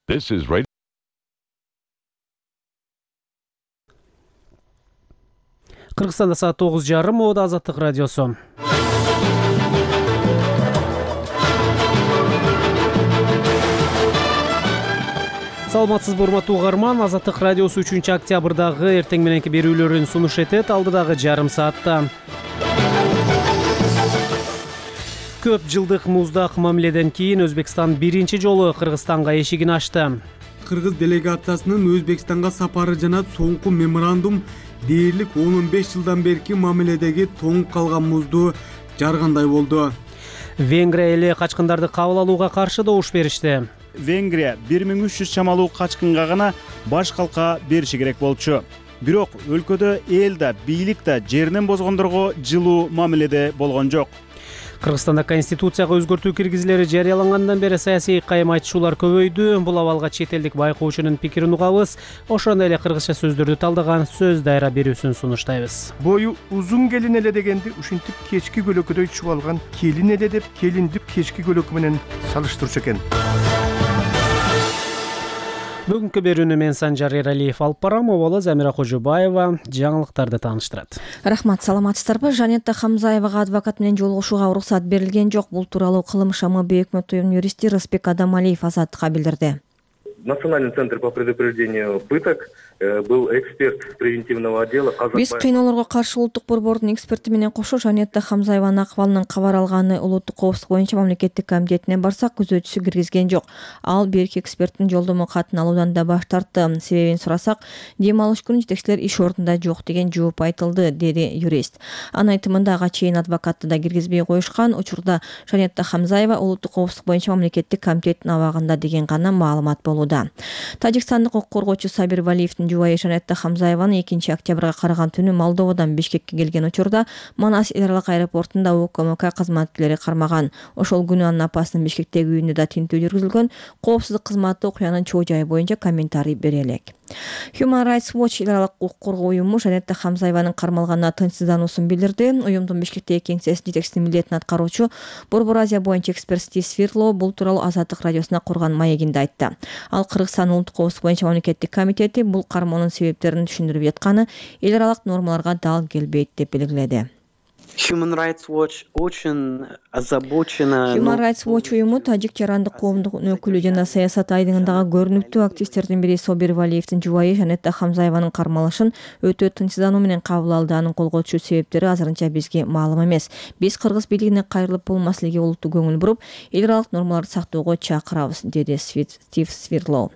This is Radio. Кыргызстанда саат 9:30. Мода Азаттык радиосу. Саламатсызбы урматтуу угарман, Азаттык радиосу 3-октябрдагы эртең мененки берүүлөрүн сунуш этет. Алдыдагы жарым саатта көп жылдык муздак мамиледен кийин Өзбекстан биринчи жолу Кыргызстанга эшигин ачты. Кыргыз делегациясынын Өзбекстанга сапары жана соңку меморандум дээрлик 15 жылдан берки мамиледеги тоңуп калган музду жаргандай болду. Венгрия эли качкындарды кабыл алууга каршы добуш беришти. Венгрия 1300 чамалуу качкынга гана баш калка бериши керек болчу. Бирок өлкөдө эл да, бийлик да жеринен бозгондорго жылуу мамиледе болгон жок. Кыргызстанда конституцияга өзгөртүү киргизилери жарыялангандан бери саясий кайым айтышуулар көбөйдү. Бул абалга чет элдик байкоочунун пикирин угабыз. Ошондой эле кыргызча сөздөрдү талдаган сөз дайра берүүсүн сунуштайбыз. Бою узун келин эле дегенди ушинтип кечки көлөкөдөй чубалган келин эле деп келинди кечки көлөкө менен салыштырчу экен. Бүгүнкү берүүнү мен Санжар Эралиев алып барам. Обалы Замира Кожубаева жаңылыктарды тааныштырат. Рахмат, саламатсыздарбы? Жанетта Хамзаевага адвокат менен жолугушууга уруксат берилген жок. Бул тууралуу Кылым ШМБ өкмөт уюмунун юристи Рыспек Адамалиев Азаттыкка билдирди. Национальный центр по предупреждению пыток был эксперт превентивного отдела. Биз кыйноолорго каршы улуттук борбордун эксперти менен кошо Жанетта Хамзаеванын акыбалынын кабар алганы улуттук коопсуздук боюнча мамлекеттик комитетине барсак, күзөтүүсү киргизген жок. Ал берки эксперттин жолдомо катын алуудан да баш тартты. Себебин сурасак, дем алыш күнү жетекчилер иш ордунда жок деген жооп айтылды, деди юрист. Анын айтымында ага чейин адвокатты да киргизбей коюшкан. Учурда Жанетта Хамзаева улуттук коопсуздук боюнча мамлекеттик комитеттин абагында деген гана маалымат болууда. Тажикстандык укук коргоочу Сабир Валиевдин жубайы Жанетта Хамзаеваны 2-октябрга караган түнү Молдовадан Бишкекке келген учурда Манас эл аралык аэропортунда УКМК кызматкерлери кармаган. Ошол күнү анын апасынын Бишкектеги үйүндө да тинтүү жүргүзүлгөн. Коопсуздук кызматы окуянын чоо жайы боюнча комментарий бере элек. Human Rights Watch эл аралык укук коргоо уюму Жанетта Хамзаеванын кармалганына тынчсыздануусун билдирди. Уюмдун Бишкектеги кеңсесинин жетекчисинин милдетин аткаруучу Борбор Азия боюнча эксперт Стив Свирлоу бул тууралуу Азаттык радиосуна курган маегинде айтты. Ал Кыргызстан улуттук коопсуздук боюнча мамлекеттик комитети бул кармоонун себептерин түшүндүрүп жатканы эл аралык нормаларга дал келбейт деп белгиледи. Human Rights Watch очень озабочена. Human Rights Watch уюму тажик жарандык коомдук өкүлү жана саясат айдыңындагы көрүнүктүү активисттердин бири Собир Валиевдин жубайы Жанетта Хамзаеванын кармалышын өтө тынчсыздануу менен кабыл алды. Анын колго түшүү себептери азырынча бизге маалым эмес. Биз кыргыз бийлигине кайрылып бул маселеге олуттуу көңүл буруп, эл аралык нормаларды сактоого чакырабыз, деди Стив Свирлоу.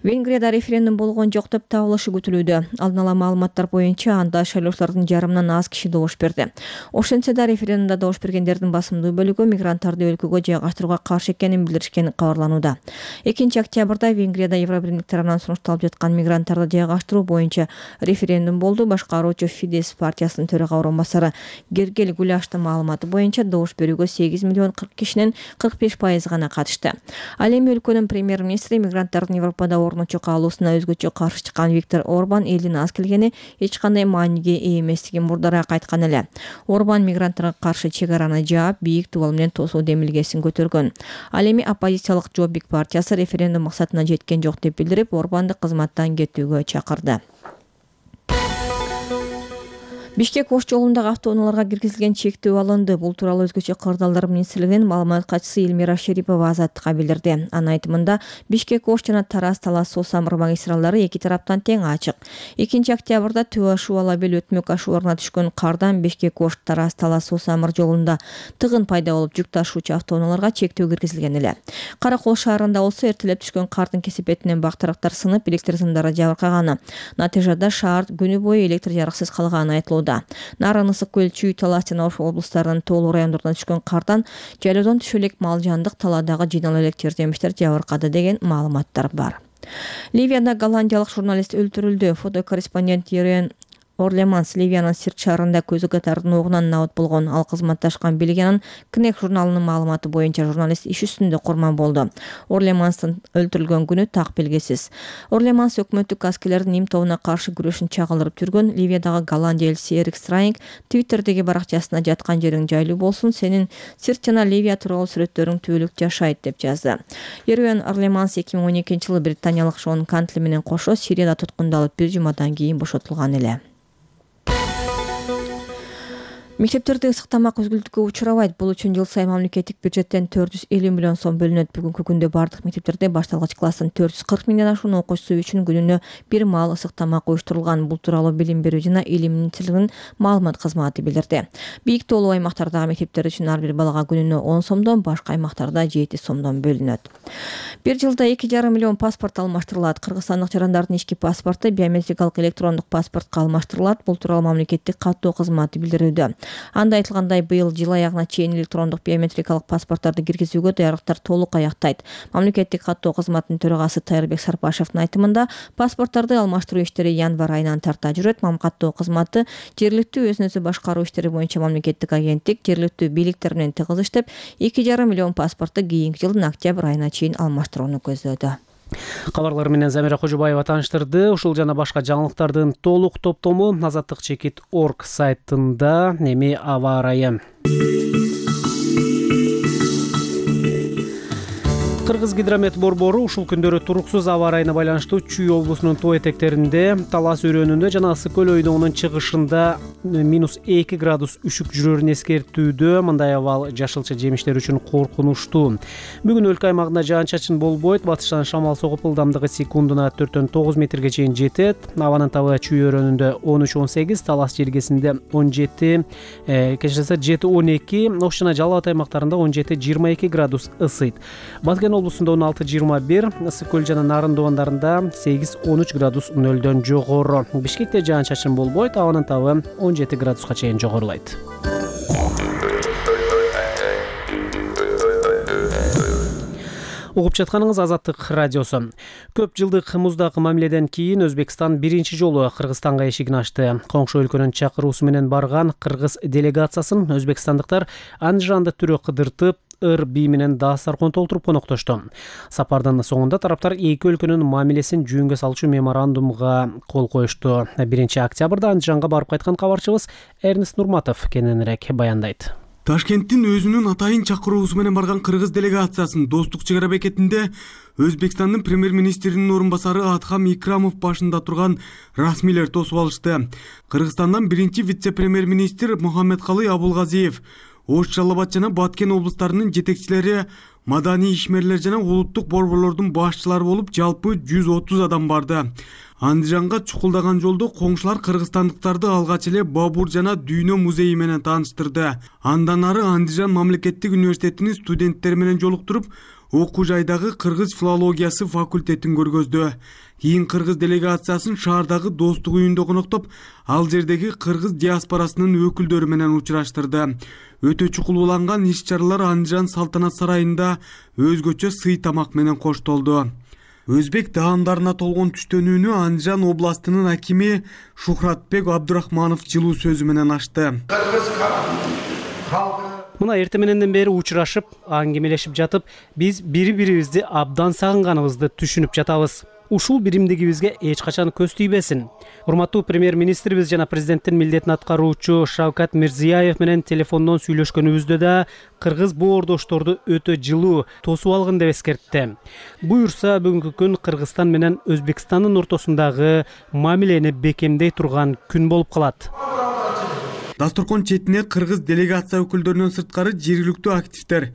Венгрияда референдум болгон жок деп табылышы күтүлүүдө. Алдын ала маалыматтар боюнча анда шайлоочулардын жарымынан аз киши добуш берди. Ошентсе да референдумда добуш бергендердин басымдуу бөлүгү мигранттарды өлкөгө жайгаштырууга каршы экенин билдиришкени кабарланууда. 2-октябрда Венгрияда Евробирлик тарабынан сунушталып жаткан мигранттарды жайгаштыруу боюнча референдум болду. Башкаруучу Фидес партиясынын төрага орун басары Гергел Гуляштын маалыматы боюнча добуш берүүгө 8 миллион 40 кишинин 45% гана катышты. Ал эми өлкөнүн премьер-министри мигранттардын Европада орночо калуусуна өзгөчө каршы чыккан Виктор Орбан элдин аз келгени эч кандай мааниге ээ эместигин мурдараак айткан эле. Орбан мигранттарга каршы чек араны жаап, бийик дубал менен тосуу демилгесин көтөргөн. Ал эми оппозициялык Жоббик партиясы референдум максатына жеткен жок деп билдирип, Орбанды кызматтан кетүүгө чакырды. Бишкек Ош жолундагы автоунааларга киргизилген чектөө алынды. Бул тууралуу өзгөчө кырдаалдар министрлигинин маалымат катчысы Элмира Шерипова Азаттыкка билдирди. Анын айтымында Бишкек Ош жана Тараз Талас Суу Самыр магистралдары эки тараптан тең ачык. 2-октябрда Төө Ашу Алабел өтмөк ашууларына түшкөн кардан Бишкек Ош Тараз Талас Суу Самыр жолунда тыгын пайда болуп, жүк ташуучу автоунааларга чектөө киргизилген эле. Каракол шаарында болсо эртелеп түшкөн кардын кесепетинен бактырактар сынып, электр сымдары жабыркаганы. Натыйжада шаар күнү бою электр жарыксыз калганы айтылууда. Нарын, Ысык көл, Чүй, Талас жана Ош облустарынын тоолуу райондорунан түшкөн кардан жайлоодон түшө элек мал жандык талаадагы жыйналып элек жардамчылар жабыркады деген маалыматтар бар. Ливияда голландиялык журналист өлтүрүлдү. Фотокорреспондент Ерен Орлеманс Ливиянын Сирт шаарында көзү катардын оогунан набыт болгон. Ал кызматташкан Бельгиянын Кнек журналынын маалыматы боюнча журналист иш үстүндө курман болду. Орлеманстын өлтүрүлгөн күнү так белгисиз. Орлеманс өкмөттүк аскерлердин им тобуна каршы күрөшүн чагылдырып жүргөн. Ливиядагы Голландия элчиси Эрик Страйнг Твиттердеги баракчасына жаткан жериң жайлуу болсун, сенин Сирт жана Ливия тууралуу сүрөттөрүң түбөлүк жашайт деп жазды. Ервен Орлеманс 2012-жылы британиялык Шон Кантли менен кошо Сирияда туткундалып 1 жумадан кийин бошотулган эле. Мектептерде ысык тамак үзгүлтүккө учурабайт. Бул үчүн жыл сайын мамлекеттик бюджеттен 450 миллион сом бөлүнөт. Бүгүнкү күндө бардык мектептерде башталгыч класстын 440 миңден ашуун окуучусу үчүн күнүнө бир маал ысык тамак уюштурулган. Бул тууралуу Билим берүү жана Илим министрлигинин маалымат кызматы билдирди. Бийик тоолуу аймактардагы мектептер үчүн ар бир балага күнүнө 10 сомдон, башка аймактарда 7 сомдон бөлүнөт. Бир жылда 2,5 миллион паспорт алмаштырылат. Кыргызстандык жарандардын ички паспорту биометрикалык электрондук паспортко алмаштырылат. Бул тууралуу мамлекеттик каттоо кызматы билдирүүдө. Анда айтылгандай, быйыл жыл аягына чейин электрондук биометрикалык паспорттарды киргизүүгө даярдыктар толук аяктайт. Мамлекеттик каттоо кызматынын төрагасы Тайырбек Сарпашевдин айтымында, паспорттарды алмаштыруу иштери январь айынан тарта жүрөт. Каттоо кызматы жергиликтүү өзүн өзү башкаруу иштери боюнча мамлекеттик агенттик жергиликтүү бийликтер менен тыгыз иштеп, 2,5 миллион паспортту кийинки жылдын октябрь айына чейин алмаштырууну көздөөдө. Кабарлар менен Замира Кожобаева тааныштырды. Ушул жана башка жаңылыктардын толук топтому azatlyk.org сайтында. Эми аба ырайы. Кыргыз гидромет борбору ушул күндөрү туруксуз аба ырайына байланыштуу Чүй облусунун тоо этектеринде, Талас өрөөнүндө жана Ысык көл ойдоонун чыгышында -2 градус үшүк жүрөрүн эскертүүдө. Мындай абал жашылча жемиштер үчүн коркунучтуу. Бүгүн өлкө аймагында жаан-чачын болбойт. Батыштан шамал согуп, ылдамдыгы секундуна 4-9 метрге чейин жетет. Абанын табы Чүй өрөөнүндө 13-18, Талас жергесинде 17, кечирсе 7-12, Ош жана Жалал Абад аймактарында 17-22 градус ысыйт. Баткен облусунда 16-21, Ысык көл жана Нарын доондарында 8-13 градус нөлдөн жогору. Бишкекте жаан-чачын болбойт, абанын табы 17 градуска чейин жогорулайт. Угуп жатканыңыз Азаттык радиосу. Көп жылдык муздак мамиледен кийин Өзбекстан биринчи жолу Кыргызстанга эшигин ачты. Коңшу өлкөнүн чакыруусу менен барган кыргыз делегациясын өзбекстандыктар Андижанды түрө кыдыртып, ыр бий менен дастаркон толтуруп коноктошту. Сапардын соңунда тараптар эки өлкөнүн мамилесин жөнгө салчу меморандумга кол коюшту. 1-октябрда Андижанга барып кайткан кабарчыбыз Эрнест Нурматов кененирээк баяндайт. Ташкенттин өзүнүн атайын чакыруусу менен барган кыргыз делегациясын Достук чек ара бекетинде Өзбекстандын премьер-министринин орун басары Атхам Икрамов башында турган расмийлер тосуп алышты. Кыргызстандан биринчи вице-премьер-министр Мухаммедкалый Абулгазиев, Ош, Жалал Абад жана Баткен облустарынын жетекчилери, маданий ишмерлер жана улуттук борборлордун башчылары болуп, жалпы 130 адам барды. Андижанга чукулдаган жолдо коңшулар кыргызстандыктарды алгач эле Бабур жана Дүйнө музейи менен тааныштырды. Андан ары Андижан мамлекеттик университетинин студенттери менен жолуктуруп, окуу жайдагы кыргыз филологиясы факультетин көргөздү. Кийин кыргыз делегациясын шаардагы Достук үйүндө коноктоп, ал жердеги кыргыз диаспорасынын өкүлдөрү менен учураштырды. Өтө чукулууланган иш-чаралар Андижан салтанат сарайында өзгөчө сый тамак менен коштолду. Өзбек даамдарына толгон түштөнүүнү Андижан областынын акими Шухратбек Абдурахманов жылуу сөзү менен ачты. Мына эрте мененден бери учурашып, аңгемелешип жатып, биз бири-бирибизди абдан сагынганыбызды түшүнүп жатабыз. Ушул биримдигибизге эч качан көз тийбесин. Урматтуу премьер-министрибиз жана президенттин милдетин аткаруучу Шавкат Мирзияев менен телефондон сүйлөшкөнүбүздө да кыргыз боордошторду өтө жылуу тосуп алгын деп эскертти. Буюрса, бүгүнкү күн Кыргызстан менен Өзбекстандын ортосундагы мамилени бекемдей турган күн болуп калат. Дасторкон четине кыргыз делегация өкүлдөрүнөн сырткары жергиликтүү активдер,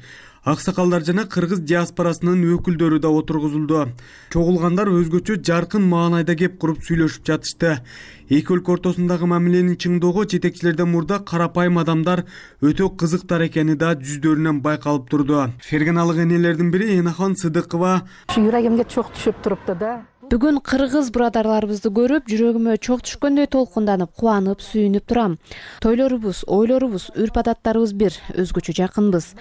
аксакалдар жана кыргыз диаспорасынын өкүлдөрү да отургузулду. Чогулгандар өзгөчө жаркын маанайда кеп куруп сүйлөшүп жатышты. Эки өлкө ортосундагы мамиленин чыңдоого жетекчилерден мурда карапайым адамдар өтө кызыктар экени да жүздөрүнөн байкалып турду. Ферганалык энелердин бири Энахон Сыдыкова: Жүрөгүмгө чок түшүп турупту да. Бүгүн кыргыз бурадарларыбызды көрүп, жүрөгүмө чок түшкөндөй толкунданып, кубанып, сүйүнүп турам. Тойлорубуз, ойлорубуз, үрп-адаттарыбыз бир, өзгөчө жакынбыз.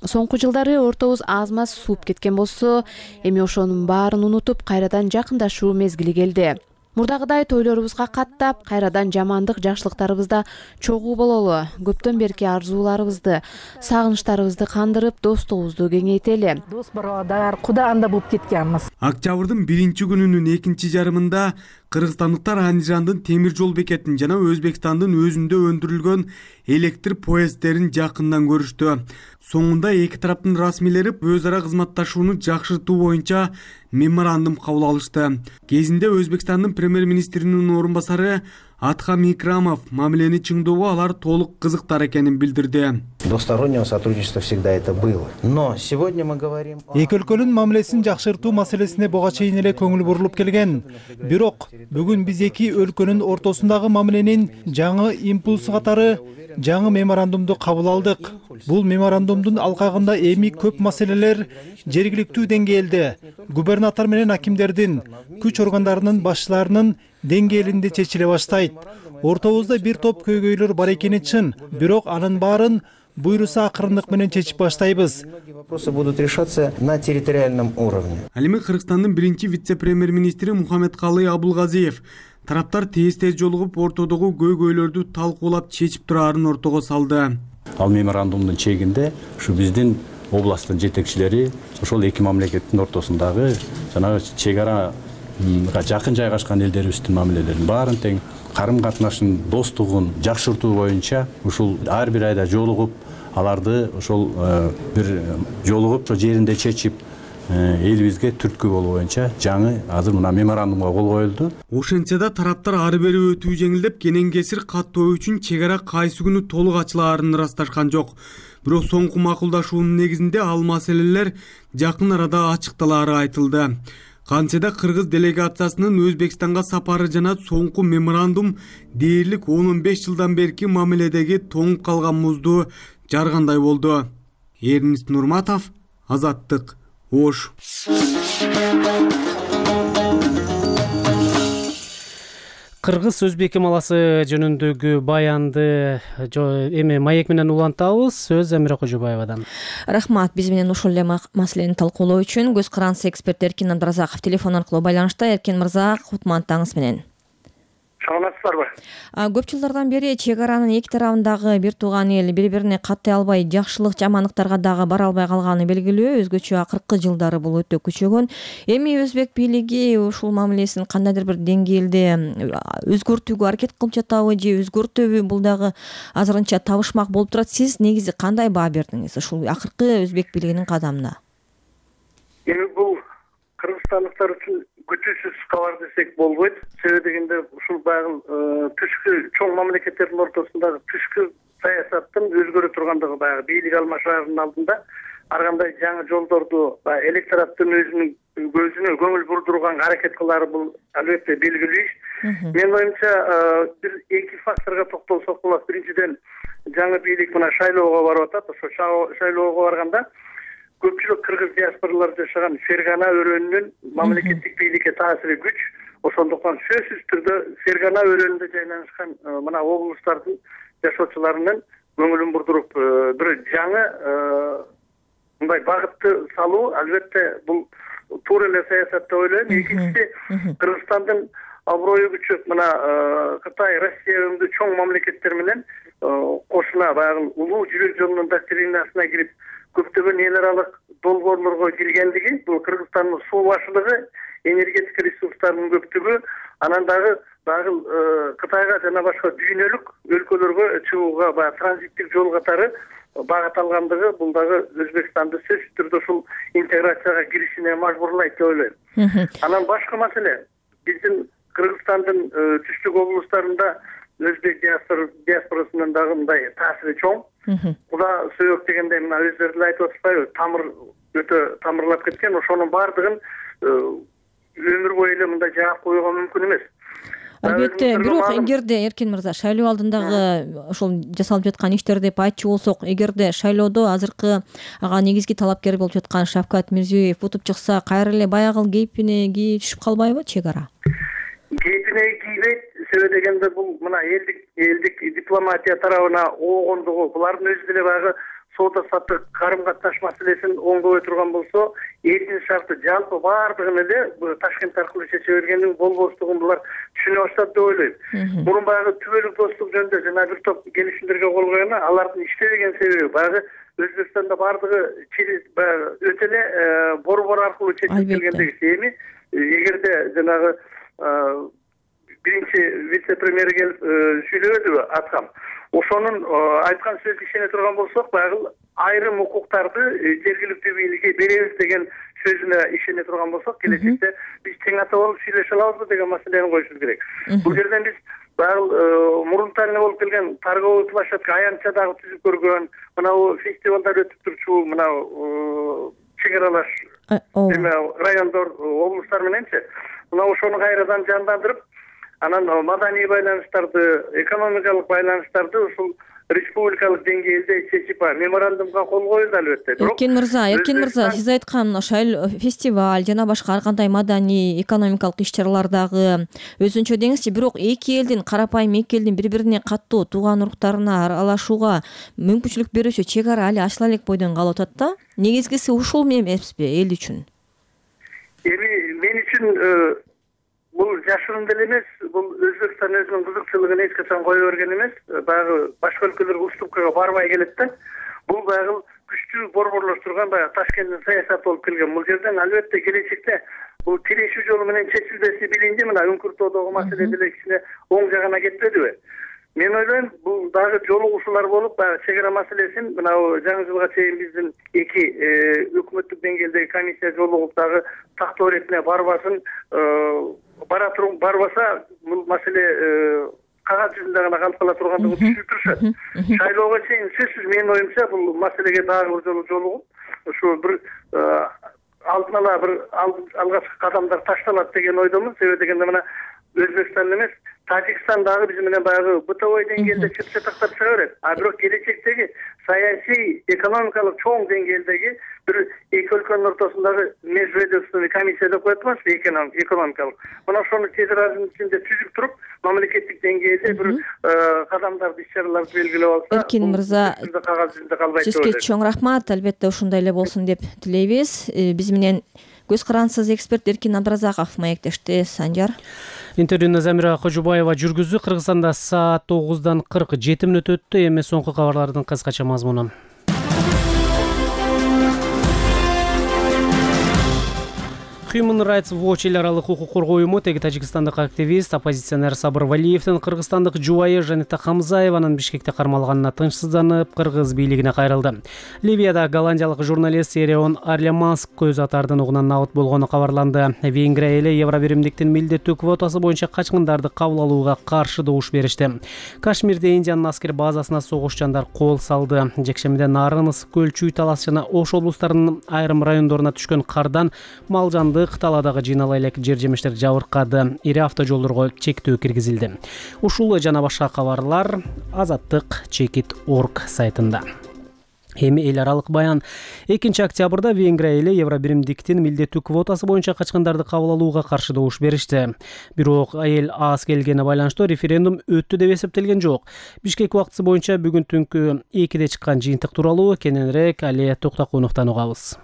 Соңку жылдары ортобуз аз-маз сууп кеткен болсо, эми ошонун баарын унутуп, кайрадан жакындашуу мезгили келди. Мурдагыдай тойлорубузга каттап, кайрадан жамандык жакшылыктарыбызда чогуу бололу. Көптөн берки арзууларыбызды, сагынычтарыбызды кандырып, достугубузду кеңейтели. Дос барадар, куда анда болуп кеткенбиз. Октябрдын 1-күнүнүн экинчи жарымында кыргызстандыктар Андижандын темир жол бекетин жана Өзбекстандын өзүндө өндүрүлгөн электр поезддерин жакындан көрүштү. Соңунда эки тараптын расмийлери өз ара кызматташууну жакшыртуу боюнча меморандум кабыл алышты. Кезинде Өзбекстандын премьер-министринин орун басары Атхам Икрамов мамилени чыңдоого алар толук кызыктар экенин билдирди. Двустороннего сотрудничества всегда это было. Но сегодня мы говорим... Эки өлкөнүн мамилесин жакшыртуу маселесине буга чейин эле көңүл бурулуп келген. Бирок бүгүн биз эки өлкөнүн ортосундагы мамиленин жаңы импульсу катары жаңы меморандумду кабыл алдык. Бул меморандумдун алкагында эми көп маселелер жергиликтүү деңгээлде губернатор менен акимдердин, күч органдарынын башчыларынын деңгээлинде чечиле баштайт. Ортобузда бир топ көйгөйлөр бар экени чын, бирок анын баарын буйруса акырындык менен чечип баштайбыз. Вопросы будут решаться на территориальном уровне. Ал эми Кыргызстандын биринчи вице-премьер-министри Мухаммедкалый Абулгазиев тараптар тез жолугуп ортодогу көйгөйлөрдү талкуулап чечип тураарын ортого салды. Ал меморандумдун чегинде ушу биздин областтын жетекчилери ошол эки мамлекеттин ортосундагы жанагы чек арага жакын жайгашкан элдерибиздин мамилелерин баарын тең карым катнашын, достугун жакшыртуу боюнча ушул ар бир айда жолугуп, аларды ошол бир жолугуп жеринде чечип, элибизге түрткү болуу боюнча жаңы азыр мына меморандумга кол коюлду. Ошентсе да тараптар ары бери өтүү жеңилдеп, кенен кесир каттоо үчүн чек ара кайсы күнү толук ачылаарын ырасташкан жок. Бирок соңку макулдашуунун негизинде ал маселелер жакын арада ачыкталаары айтылды. Кантсе да кыргыз делегациясынын Өзбекстанга сапары жана соңку меморандум дээрлик 10-15 жылдан берки мамиледеги тоңуп калган музду жаргандай болду. Эрнист Нурматов, Азаттык, Ош. Кыргыз өзбек эмаласы жөнүндөгү баянды эми маек менен улантабыз. Сөз Замира Кожобаевадан. Рахмат, биз менен ушул эле маселени талкуулоо үчүн көз карандысы эксперт Эркин Абдыразаков телефон аркылуу байланышта. Эркин мырза, кутмандтаңыз менен. Саламатсыздарбы? Көп жылдардан бери чек аранын эки тарабындагы бир тууган эл бири-бирине каттай албай, жакшылык жамандыктарга дагы бара албай калганы белгилүү. Өзгөчө акыркы жылдары бул өтө күчөгөн. Эми өзбек бийлиги ушул мамилесин кандайдыр бир деңгээлде өзгөртүүгө аракет кылып жатабы же өзгөртөбү? Бул дагы азырынча табышмак болуп турат. Сиз негизи кандай баа бердиңиз ушул акыркы өзбек бийлигинин кадамына? Эми бул кыргызстандыктар үчүн күтүүсүз кабар десек болбойт. Себеби дегенде ушул баягы түшкү чоң мамлекеттердин ортосундагы түшкү саясаттын өзгөрө тургандыгы баягы бийлик алмашаардын алдында ар кандай жаңы жолдорду электораттын өзүнүн көзүнө көңүл бурдурганга аракет кылаары бул албетте белгилүү иш. Менин оюмча бир эки факторго токтолсок болот. Биринчиден жаңы бийлик мына шайлоого барып атат. Ошо шайлоого барганда көпчүлүк кыргыз диаспоралар жашаган Фергана өрөөнүнүн мамлекеттик бийликке таасири күч. Ошондуктан сөзсүз түрдө Фергана өрөөнүндө жайланышкан мына облустардын жашоочуларынын көңүлүн бурдуруп бир жаңы мындай багытты салуу албетте бул туура эле саясат деп ойлойм. Экинчиси, Кыргызстандын аброю күчөп мына Кытай, Россия өңдүү чоң мамлекеттер менен кошуна баягы улуу жибек жолунун доктринасына кирип көптөгөн эл аралык долбоорлорго киргендиги, бул Кыргызстандын суу башылыгы, энергетика ресурстарынын көптүгү, анан дагы Кытайга жана башка дүйнөлүк өлкөлөргө чыгууга баягы транзиттик жол катары багыт алгандыгы бул дагы Өзбекстанды сөзсүз түрдө ушул интеграцияга киришине мажбурлайт деп ойлойм. Анан башка маселе, биздин Кыргызстандын түштүк облустарында өзбек диаспорасынын дагы мындай таасири чоң. Куда сөйөк дегенде мына өздөрү деле айтып атышпайбы, тамыр өтө тамырлап кеткен. Ошонун баардыгын өмүр бою эле мындай жаап коюуга мүмкүн эмес. Албетте, бирок эгерде Эркин мырза шайлоо алдындагы ошол жасалып жаткан иштер деп айтчу болсок, эгерде шайлоодо азыркы ага негизги талапкер болуп жаткан Шавкат Мирзиёев утуп чыкса, кайра эле баягы кейпине кийип түшүп калбайбы чек ара? Кейпине кийбейт. Себеби дегенде бул мына элдик дипломатия тарабына оогондугу, булардын өзү деле баягы соода саттык карым катнаш маселесин оңдобой турган болсо, элдин шарты жалпы баардыгын эле Ташкент аркылуу чече бергендин болбостугун булар түшүнө баштады деп ойлойм. Мурун баягы түбөлүк достук жөнүндө жана бир топ келишимдерге кол койгону алардын иштебеген себеби баягы Өзбекстанда баардыгы өтө эле борбор аркылуу чечилип келгендеги. Эми эгерде жанагы биринчи вице-премьер келип сүйлөбөдүбү Аткам, ошонун айткан сөзүн ишене турган болсок, баягы айрым укуктарды жергиликтүү бийликке беребиз деген сөзүнө ишене турган болсок, келечекте биз тең ата болуп сүйлөшө алабызбы деген маселени коюшубуз керек. Бул жерден биз баягы мурунтан эле болуп келген торговый площадка аянтча дагы түзүп көргөн, мынау фестивалдар өтүп турчу, мынау чек аралаш райондор, облустар мененчи, мына ошону кайрадан жандандырып, анан маданий байланыштарды, экономикалык байланыштарды ушул республикалык деңгээлде чечип меморандумга кол коюлду албетте. Эркин мырза, сиз айткан ошол фестиваль жана башка ар кандай маданий, экономикалык иш-чаралар дагы өзүнчө деңизчи, бирок эки элдин карапайым эки элдин бири-бирине каттуу тууган уруктарына аралашууга мүмкүнчүлүк берүүчү чек ара али ачыла элек бойдон калып атат да. Негизгиси ушул эмеспи эл үчүн? Эми мен үчүн бул жашырын деле эмес, бул Өзбекстан өзүнүн кызыкчылыгын эч качан кое берген эмес. Баягы башка өлкөлөр уступкага барбай келет да. Бул баягы күчтүү борборлоштурган баягы Ташкенттин саясаты болуп келген. Бул жерден албетте келечекте бул тирешүү жолу менен чечилбеси билинди, мына Үңкүртөдөгү маселе деле кичине оң жагына кетпедиби? Мен ойлойм, бул дагы жолугушуулар болуп, баягы чек ара маселесин мынау жаңы жылга чейин биздин эки өкмөттүк деңгээлдеги комиссия жолугуп дагы тактоо иретине барбасын, барбаса бул маселе кагаз жүзүндө гана калып кала тургандыгын түшүнүп турушат. Шайлоого чейин сөзсүз менин оюмча бул маселеге дагы бир жолу жолугуп, ушу бир алдын ала бир алгачкы кадамдар ташталат деген ойдомун. Себеби дегенде мына Өзбекстан эмес, Тажикстан дагы биз менен баягы бытовой деңгээлде чыптатактап чыга берет. А бирок келечектеги саясий, экономикалык чоң деңгээлдеги бир эки өлкөнүн ортосундагы межведомственный комиссия деп коет эмеспи, экономикалык. Мына ошону тез аранын ичинде түзүп туруп, мамлекеттик деңгээлде бир кадамдарды, иш-чараларды белгилеп алса, Эркин мырза, кагаз жүзүндө калбайт. Сизге чоң рахмат. Албетте ушундай эле болсун деп тилейбиз. Биз менен көз карансыз эксперт Эркин Абдыразаков маектешти. Санжар. Интервьюну Замира Кожубаева жүргүздү. Кыргызстанда саат 9:47 өттү. Эми соңку кабарлардын кыскача мазмуну. Human Rights Watch эл аралык укук коргоо уюму теги тажикстандык активист, оппозиционер Сабыр Валиевдин кыргызстандык жубайы Жанета Хамзаеванын Бишкекте кармалганына тынчсызданып, кыргыз бийлигине кайрылды. Ливияда голландиялык журналист Ереон Арляманск көз атардын угунан набыт болгону кабарланды. Венгрия эли Евробиримдиктин милдеттүү квотасы боюнча качкындарды кабыл алууга каршы добуш беришти. Кашмирде Индиянын аскер базасына согушчандар кол салды. Жекшемиде Нарын, Ысык көл, Чүй талас жана Ош облустарынын айрым райондоруна түшкөн кардан малжанды талаадагы жыйнала элек жер жемиштер жабыркады. Ири автожолдорго чектөө киргизилди. Ушул жана башка кабарлар azattik.org сайтында. Эми эл аралык баян. 2 октябрда Венгрия эли Евробиримдиктин милдеттүү квотасы боюнча качкындарды кабыл алууга каршы добуш беришти. Бирок эл аз келгени байланыштуу референдум өттү деп эсептелген жок. Бишкек убактысы боюнча бүгүн түнкү 2-де чыккан жыйынтык тууралуу кененирээк Али Токтокуновдон угабыз.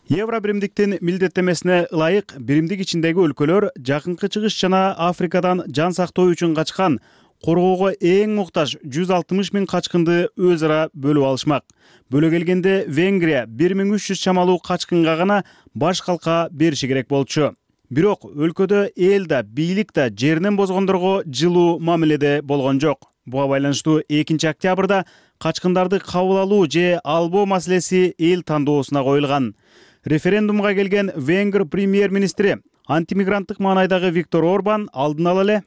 Евробиримдиктин милдеттемесине ылайык биримдик ичиндеги өлкөлөр жакынкы чыгыш жана Африкадан жан сактоо үчүн качкан, коргоого эң муктаж 160 000 качкынды өз ара бөлүп алышмак. Бөлө келгенде Венгрия 1300 чамалуу качкынга гана баш калка бериши керек болчу. Бирок өлкөдө эл да, бийлик да жеринен бозгондорго жылуу мамиледе болгон жок. Буга байланыштуу 2 октябрда качкындарды кабыл алуу же албоо маселеси эл тандоосуна коюлган. Референдумга келген Венгр премьер-министри антимигранттык маанайдагы Виктор Орбан алдын ала эле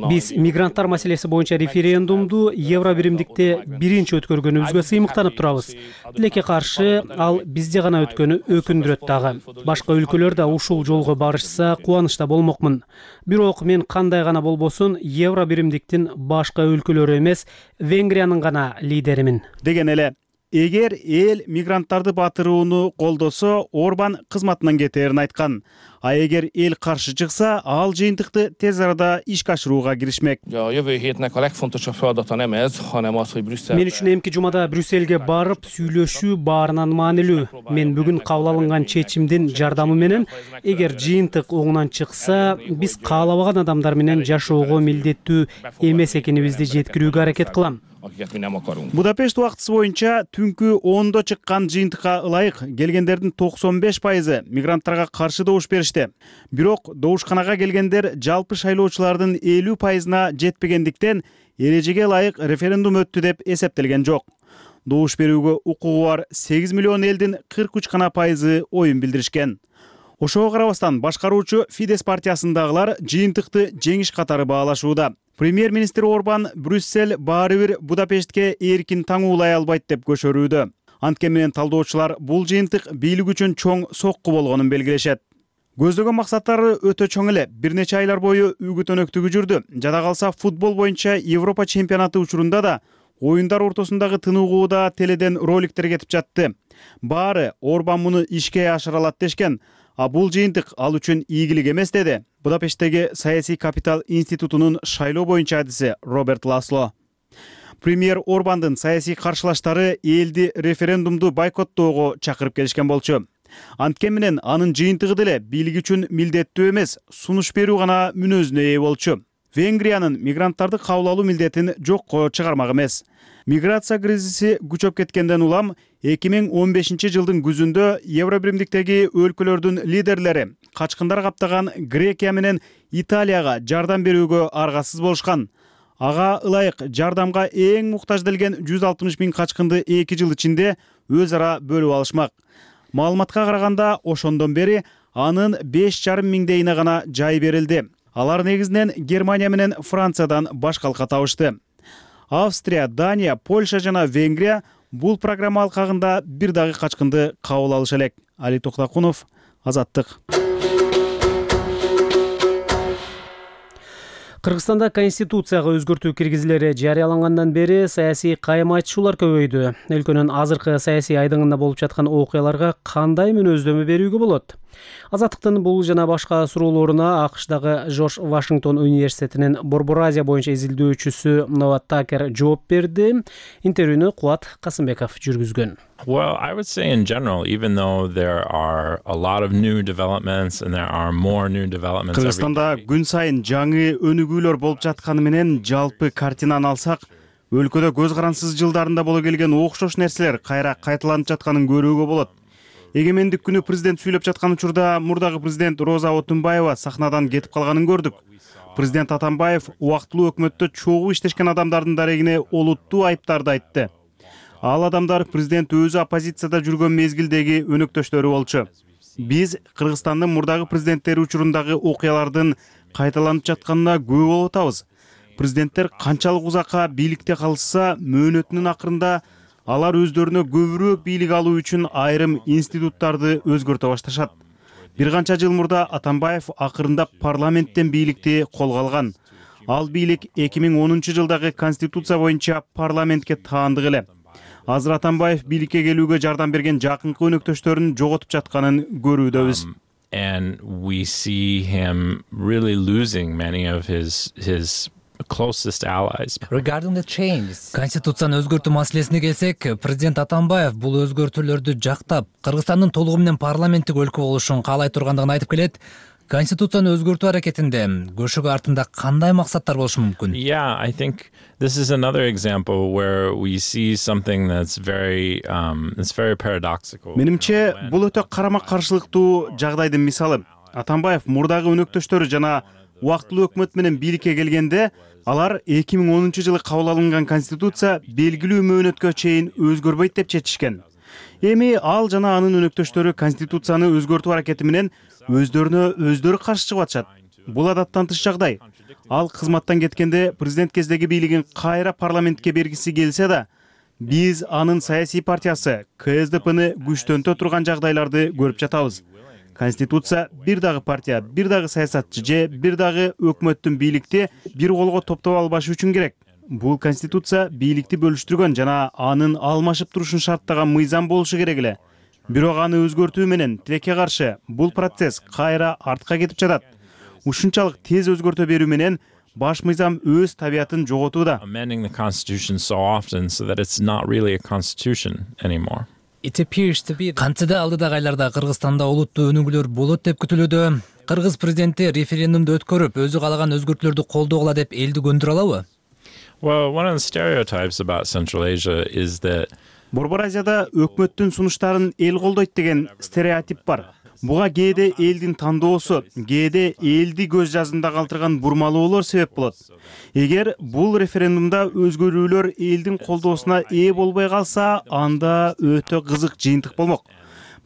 биз мигранттар маселеси боюнча референдумду Евробиримдикте биринчи өткөргөнүбүзгө сыймыктанып турабыз. Тилекке каршы ал бизде гана өткөнү өкүндүрөт дагы. Башка өлкөлөр да ушул жолго барышса кубанычта болмокмун. Бирок мен кандай гана болбосун Евробиримдиктин башка өлкөлөрү эмес, Венгриянын гана лидеримин. Деген эле эгер эл мигранттарды батырууну колдосо, Орбан кызматынан кетээрин айткан. А эгер эл каршы чыкса, ал жыйынтыкты тез арада ишке ашырууга киришмек. Мен үчүн эмки жумада Брюсселге барып сүйлөшүү баарынан маанилүү. Мен бүгүн кабыл алынган чечимдин жардамы менен, эгер жыйынтык оңунан чыкса, биз каалабаган адамдар менен жашоого милдеттүү эмес экенибизди жеткирүүгө аракет кылам. Будапешт убактысы боюнча түнкү 10-до чыккан жыйынтыкка ылайык келгендердин 95% мигранттарга каршы добуш беришти. Бирок добушканага келгендер жалпы шайлоочулардын 50%-на жетпегендиктен эрежеге ылайык референдум өттү деп эсептелген жок. Добуш берүүгө укугу бар 8 миллион элдин 43% оюн билдиришкен. Ошого карабастан башкаруучу Фидес партиясындагылар жыйынтыкты жеңиш катары баалашууда. Премьер-министр Орбан Брюссель баары бир Будапештке эркин таңуулай албайт деп көшөрүүдө. Анткени менен талдоочулар бул жыйынтык бийлик үчүн чоң сокку болгонун белгилешет. Көздөгөн максаттары өтө чоң эле. Бир нече айлар бою үгүт-өнөктүгү жүрдү. Жада калса футбол боюнча Европа чемпионаты учурунда да оюндар ортосундагы тыныгууда теледен роликтер кетип жатты. Баары Орбан муну ишке ашыра алат дешкен. А бул жыйынтык ал үчүн ийгилик эмес деди Будапешттеги Саясий капитал институтунун шайлоо боюнча адиси Роберт Ласло. Премьер Орбандын саясий каршылаштары элди референдумду бойкоттоого чакырып келишкен болчу. Анткени менен анын жыйынтыгы деле бийлик үчүн милдеттүү эмес, сунуш берүү гана мүнөзүнө ээ болчу. Венгриянын мигранттарды кабыл алуу милдетин жокко чыгармак эмес. Миграция кризиси күчөп кеткенден улам 2015 жылдын күзүндө Евробиримдиктеги өлкөлөрдүн лидерлери качкындар каптаган Грекия менен Италияга жардам берүүгө аргасыз болушкан. Ага ылайык жардамга эң муктаж делген 160 000 качкынды 2 жыл ичинде өз ара бөлүп алышмак. Маалыматка караганда ошондон бери анын 5,5 миңдейине гана жай берилди. Алар негизинен Германия менен Франциядан баш калка табышты. Австрия, Дания, Польша жана Венгрия бул программа алкагында бир дагы качкынды кабыл алыша элек. Али Токтакунов, Азаттык. Кыргызстанда конституцияга өзгөртүү киргизилери жарыялангандан бери саясий кайым айтышуулар көбөйдү. Өлкөнүн азыркы саясий айдыңында болуп жаткан окуяларга кандай мүнөздөмө берүүгө болот? Азаттыктын бул жана башка суроолоруна АКШдагы Жорж Вашингтон университетинин Борбор Азия боюнча изилдөөчүсү Нова Такер жооп берди. Интервьюну Кубат Касымбеков жүргүзгөн. Well, I would say in general, even though there are a lot of new developments and there are more new developments every day. Кыргызстанда күн сайын жаңы өнүгүүлөр болуп жатканы менен жалпы картинаны алсак, өлкөдө көз карансыз жылдарында боло келген окшош нерселер кайра кайталанып жатканын көрүүгө болот. Эгемендик күнү президент сүйлөп жаткан учурда мурдагы президент Роза Отунбаева сахнадан кетип калганын көрдүк. Президент Атамбаев убактылуу өкмөттө чогуу иштешкен адамдардын дарегине олуттуу айыптарды айтты. Ал адамдар президент өзү оппозицияда жүргөн мезгилдеги өнөктөштөрү болчу. Биз Кыргызстандын мурдагы президенттери учурундагы окуялардын кайталанып жатканына күбө болуп атабыз. Президенттер канчалык узакка бийликте калышса, мөөнөтүнүн акырында алар өздөрүнө көбүрөөк бийлик алуу үчүн айрым институттарды өзгөртө башташат. Бир канча жыл мурда Атамбаев акырында парламенттен бийликти колго алган. Ал бийлик 2010 жылдагы конституция боюнча парламентке таандык эле. Азыр Атамбаев бийликке келүүгө жардам берген жакынкы өнөктөштөрүн жоготуп жатканын көрүүдөбүз. And we see him really losing many of his closest allies. Regarding the changes. Конституцияны өзгөртүү маселесине келсек, президент Атамбаев бул өзгөртүүлөрдү жактап, Кыргызстандын толугу менен парламенттик өлкө болушун каалай тургандыгын айтып келет. Конституцияны өзгөртүү аракетинде көшөгө артында кандай максаттар болушу мүмкүн? Yeah, I think this is another example where we see something that's very paradoxical. Менимче, бул өтө карама-каршылыктуу жагдайдын мисалы. Атамбаев мурдагы өнөктөштөрү жана убактылуу өкмөт менен бийликке келгенде, алар 2010 жылы кабыл алынган конституция белгилүү мөөнөткө чейин өзгөрбөйт деп чечишкен. Эми ал жана анын өнөктөштөрү конституцияны өзгөртүү аракети менен өздөрүнө каршы чыгып атышат. Бул адаттан тыш жагдай. Ал кызматтан кеткенде президент кездеги бийлигин кайра парламентке бергиси келсе да, биз анын саясий партиясы КСДПны күчтөнтө турган жагдайларды көрүп жатабыз. Конституция бир дагы партия, бир дагы саясатчы же бир дагы өкмөттүн бийликти бир колго топтоп албашы үчүн керек. бул конституция бийликти бөлүштүргөн жана анын алмашып турушун шарттаган мыйзам болушу керек эле. Бирок аны өзгөртүү менен тилекке каршы бул процесс кайра артка кетип жатат. Ушунчалык тез өзгөртө берүү менен баш мыйзам өз табиятын жоготууда. Amending the constitution so often so that it's not really a constitution anymore. Кантсе да алдыдагы айларда Кыргызстанда олуттуу өнүгүүлөр болот деп күтүлүүдө. Кыргыз президенти референдумду өткөрүп, өзү каалаган өзгөртүүлөрдү колдогула деп элди көндүрө алабы? Well, one of the stereotypes about Central Asia is that Борбор Азияда өкмөттүн сунуштарын эл колдойт деген стереотип бар. Буга кээде элдин тандоосу, кээде элди көз жазында калтырган бурмалоолор себеп болот. Эгер бул референдумда өзгөрүүлөр элдин колдоосуна ээ болбой калса, анда өтө кызык жыйынтык болмок.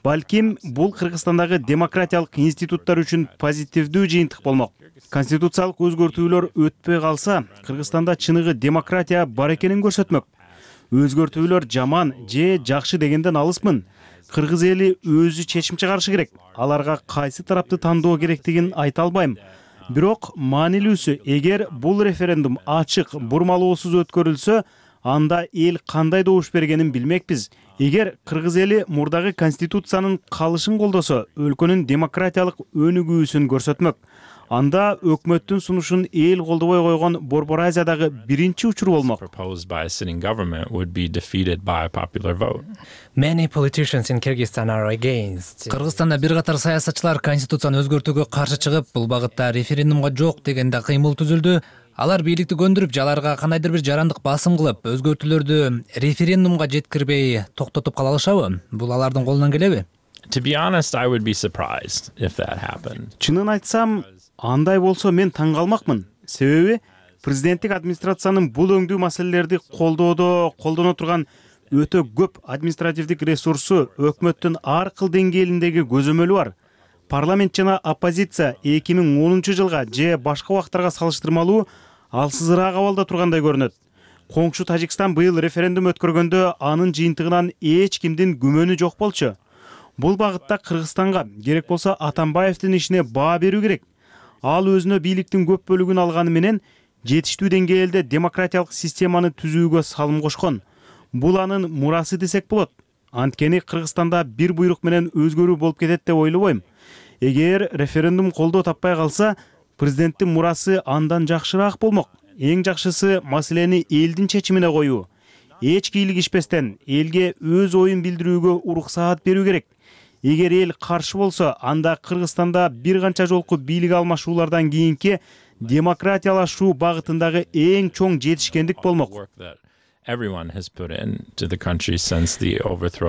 Балким бул Кыргызстандагы демократиялык институттар үчүн позитивдүү жыйынтык болмок. Конституциялык өзгөртүүлөр өтпөй калса, Кыргызстанда чыныгы демократия бар экенин көрсөтмөк. Өзгөртүүлөр жаман же жакшы дегенден алысмын. Кыргыз эли өзү чечим чыгарышы керек. Аларга кайсы тарапты тандоо керектигин айта албайм. Бирок маанилүүсү, эгер бул референдум ачык, бурмалоосуз өткөрүлсө, анда эл кандай добуш бергенин билмекпиз. Эгер кыргыз эли мурдагы конституциянын калышын колдосо, өлкөнүн демократиялык өнүгүүсүн көрсөтмөк. Анда өкмөттүн сунушун эл колдобой койгон Борбор Азиядагы биринчи учур болмок. Proposed by a sitting government would be defeated by a popular vote. Many politicians in Kyrgyzstan are against. Кыргызстанда бир катар саясатчылар конституцияны өзгөртүүгө каршы чыгып, бул багытта референдумга жок дегенде кыймыл түзүлдү. Алар бийликти көндүрүп, жаларга кандайдыр бир жарандык басым кылып, өзгөртүүлөрдү референдумга жеткирбей токтотуп кала алышабы? Бул алардын колунан келеби? To be honest, I would be surprised if that happened. Чынын айтсам, андай болсо мен таң калмакмын. Себеби президенттик администрациянын бул өңдүү маселелерди колдоно турган өтө көп административдик ресурсу өкмөттүн ар кыл деңгээлиндеги көзөмөлү бар. Парламент жана оппозиция 2010 жылга же башка убактарга салыштырмалуу алсызыраак абалда тургандай көрүнөт. Коңшу Тажикстан быйыл референдум өткөргөндө анын жыйынтыгынан эч кимдин күмөнү жок болчу. Бул багытта Кыргызстанга керек болсо Атамбаевдин ишине баа берүү керек. Ал өзүнө бийликтин көп бөлүгүн алганы менен жетиштүү деңгээлде демократиялык системаны түзүүгө салым кошкон. Бул анын мурасы десек болот. Анткени Кыргызстанда бир буйрук менен өзгөрүү болуп кетет деп ойлобойм. Эгер референдум колдоо таппай калса, президенттин мурасы андан жакшыраак болмок. Эң жакшысы маселени элдин чечимине коюу. Эч кийлигишпестен элге өз оюн билдирүүгө уруксаат берүү керек. Эгер эл каршы болсо, анда Кыргызстанда бир канча жолку бийлик алмашуулардан кийинки демократиялашуу багытындагы эң чоң жетишкендик болмок.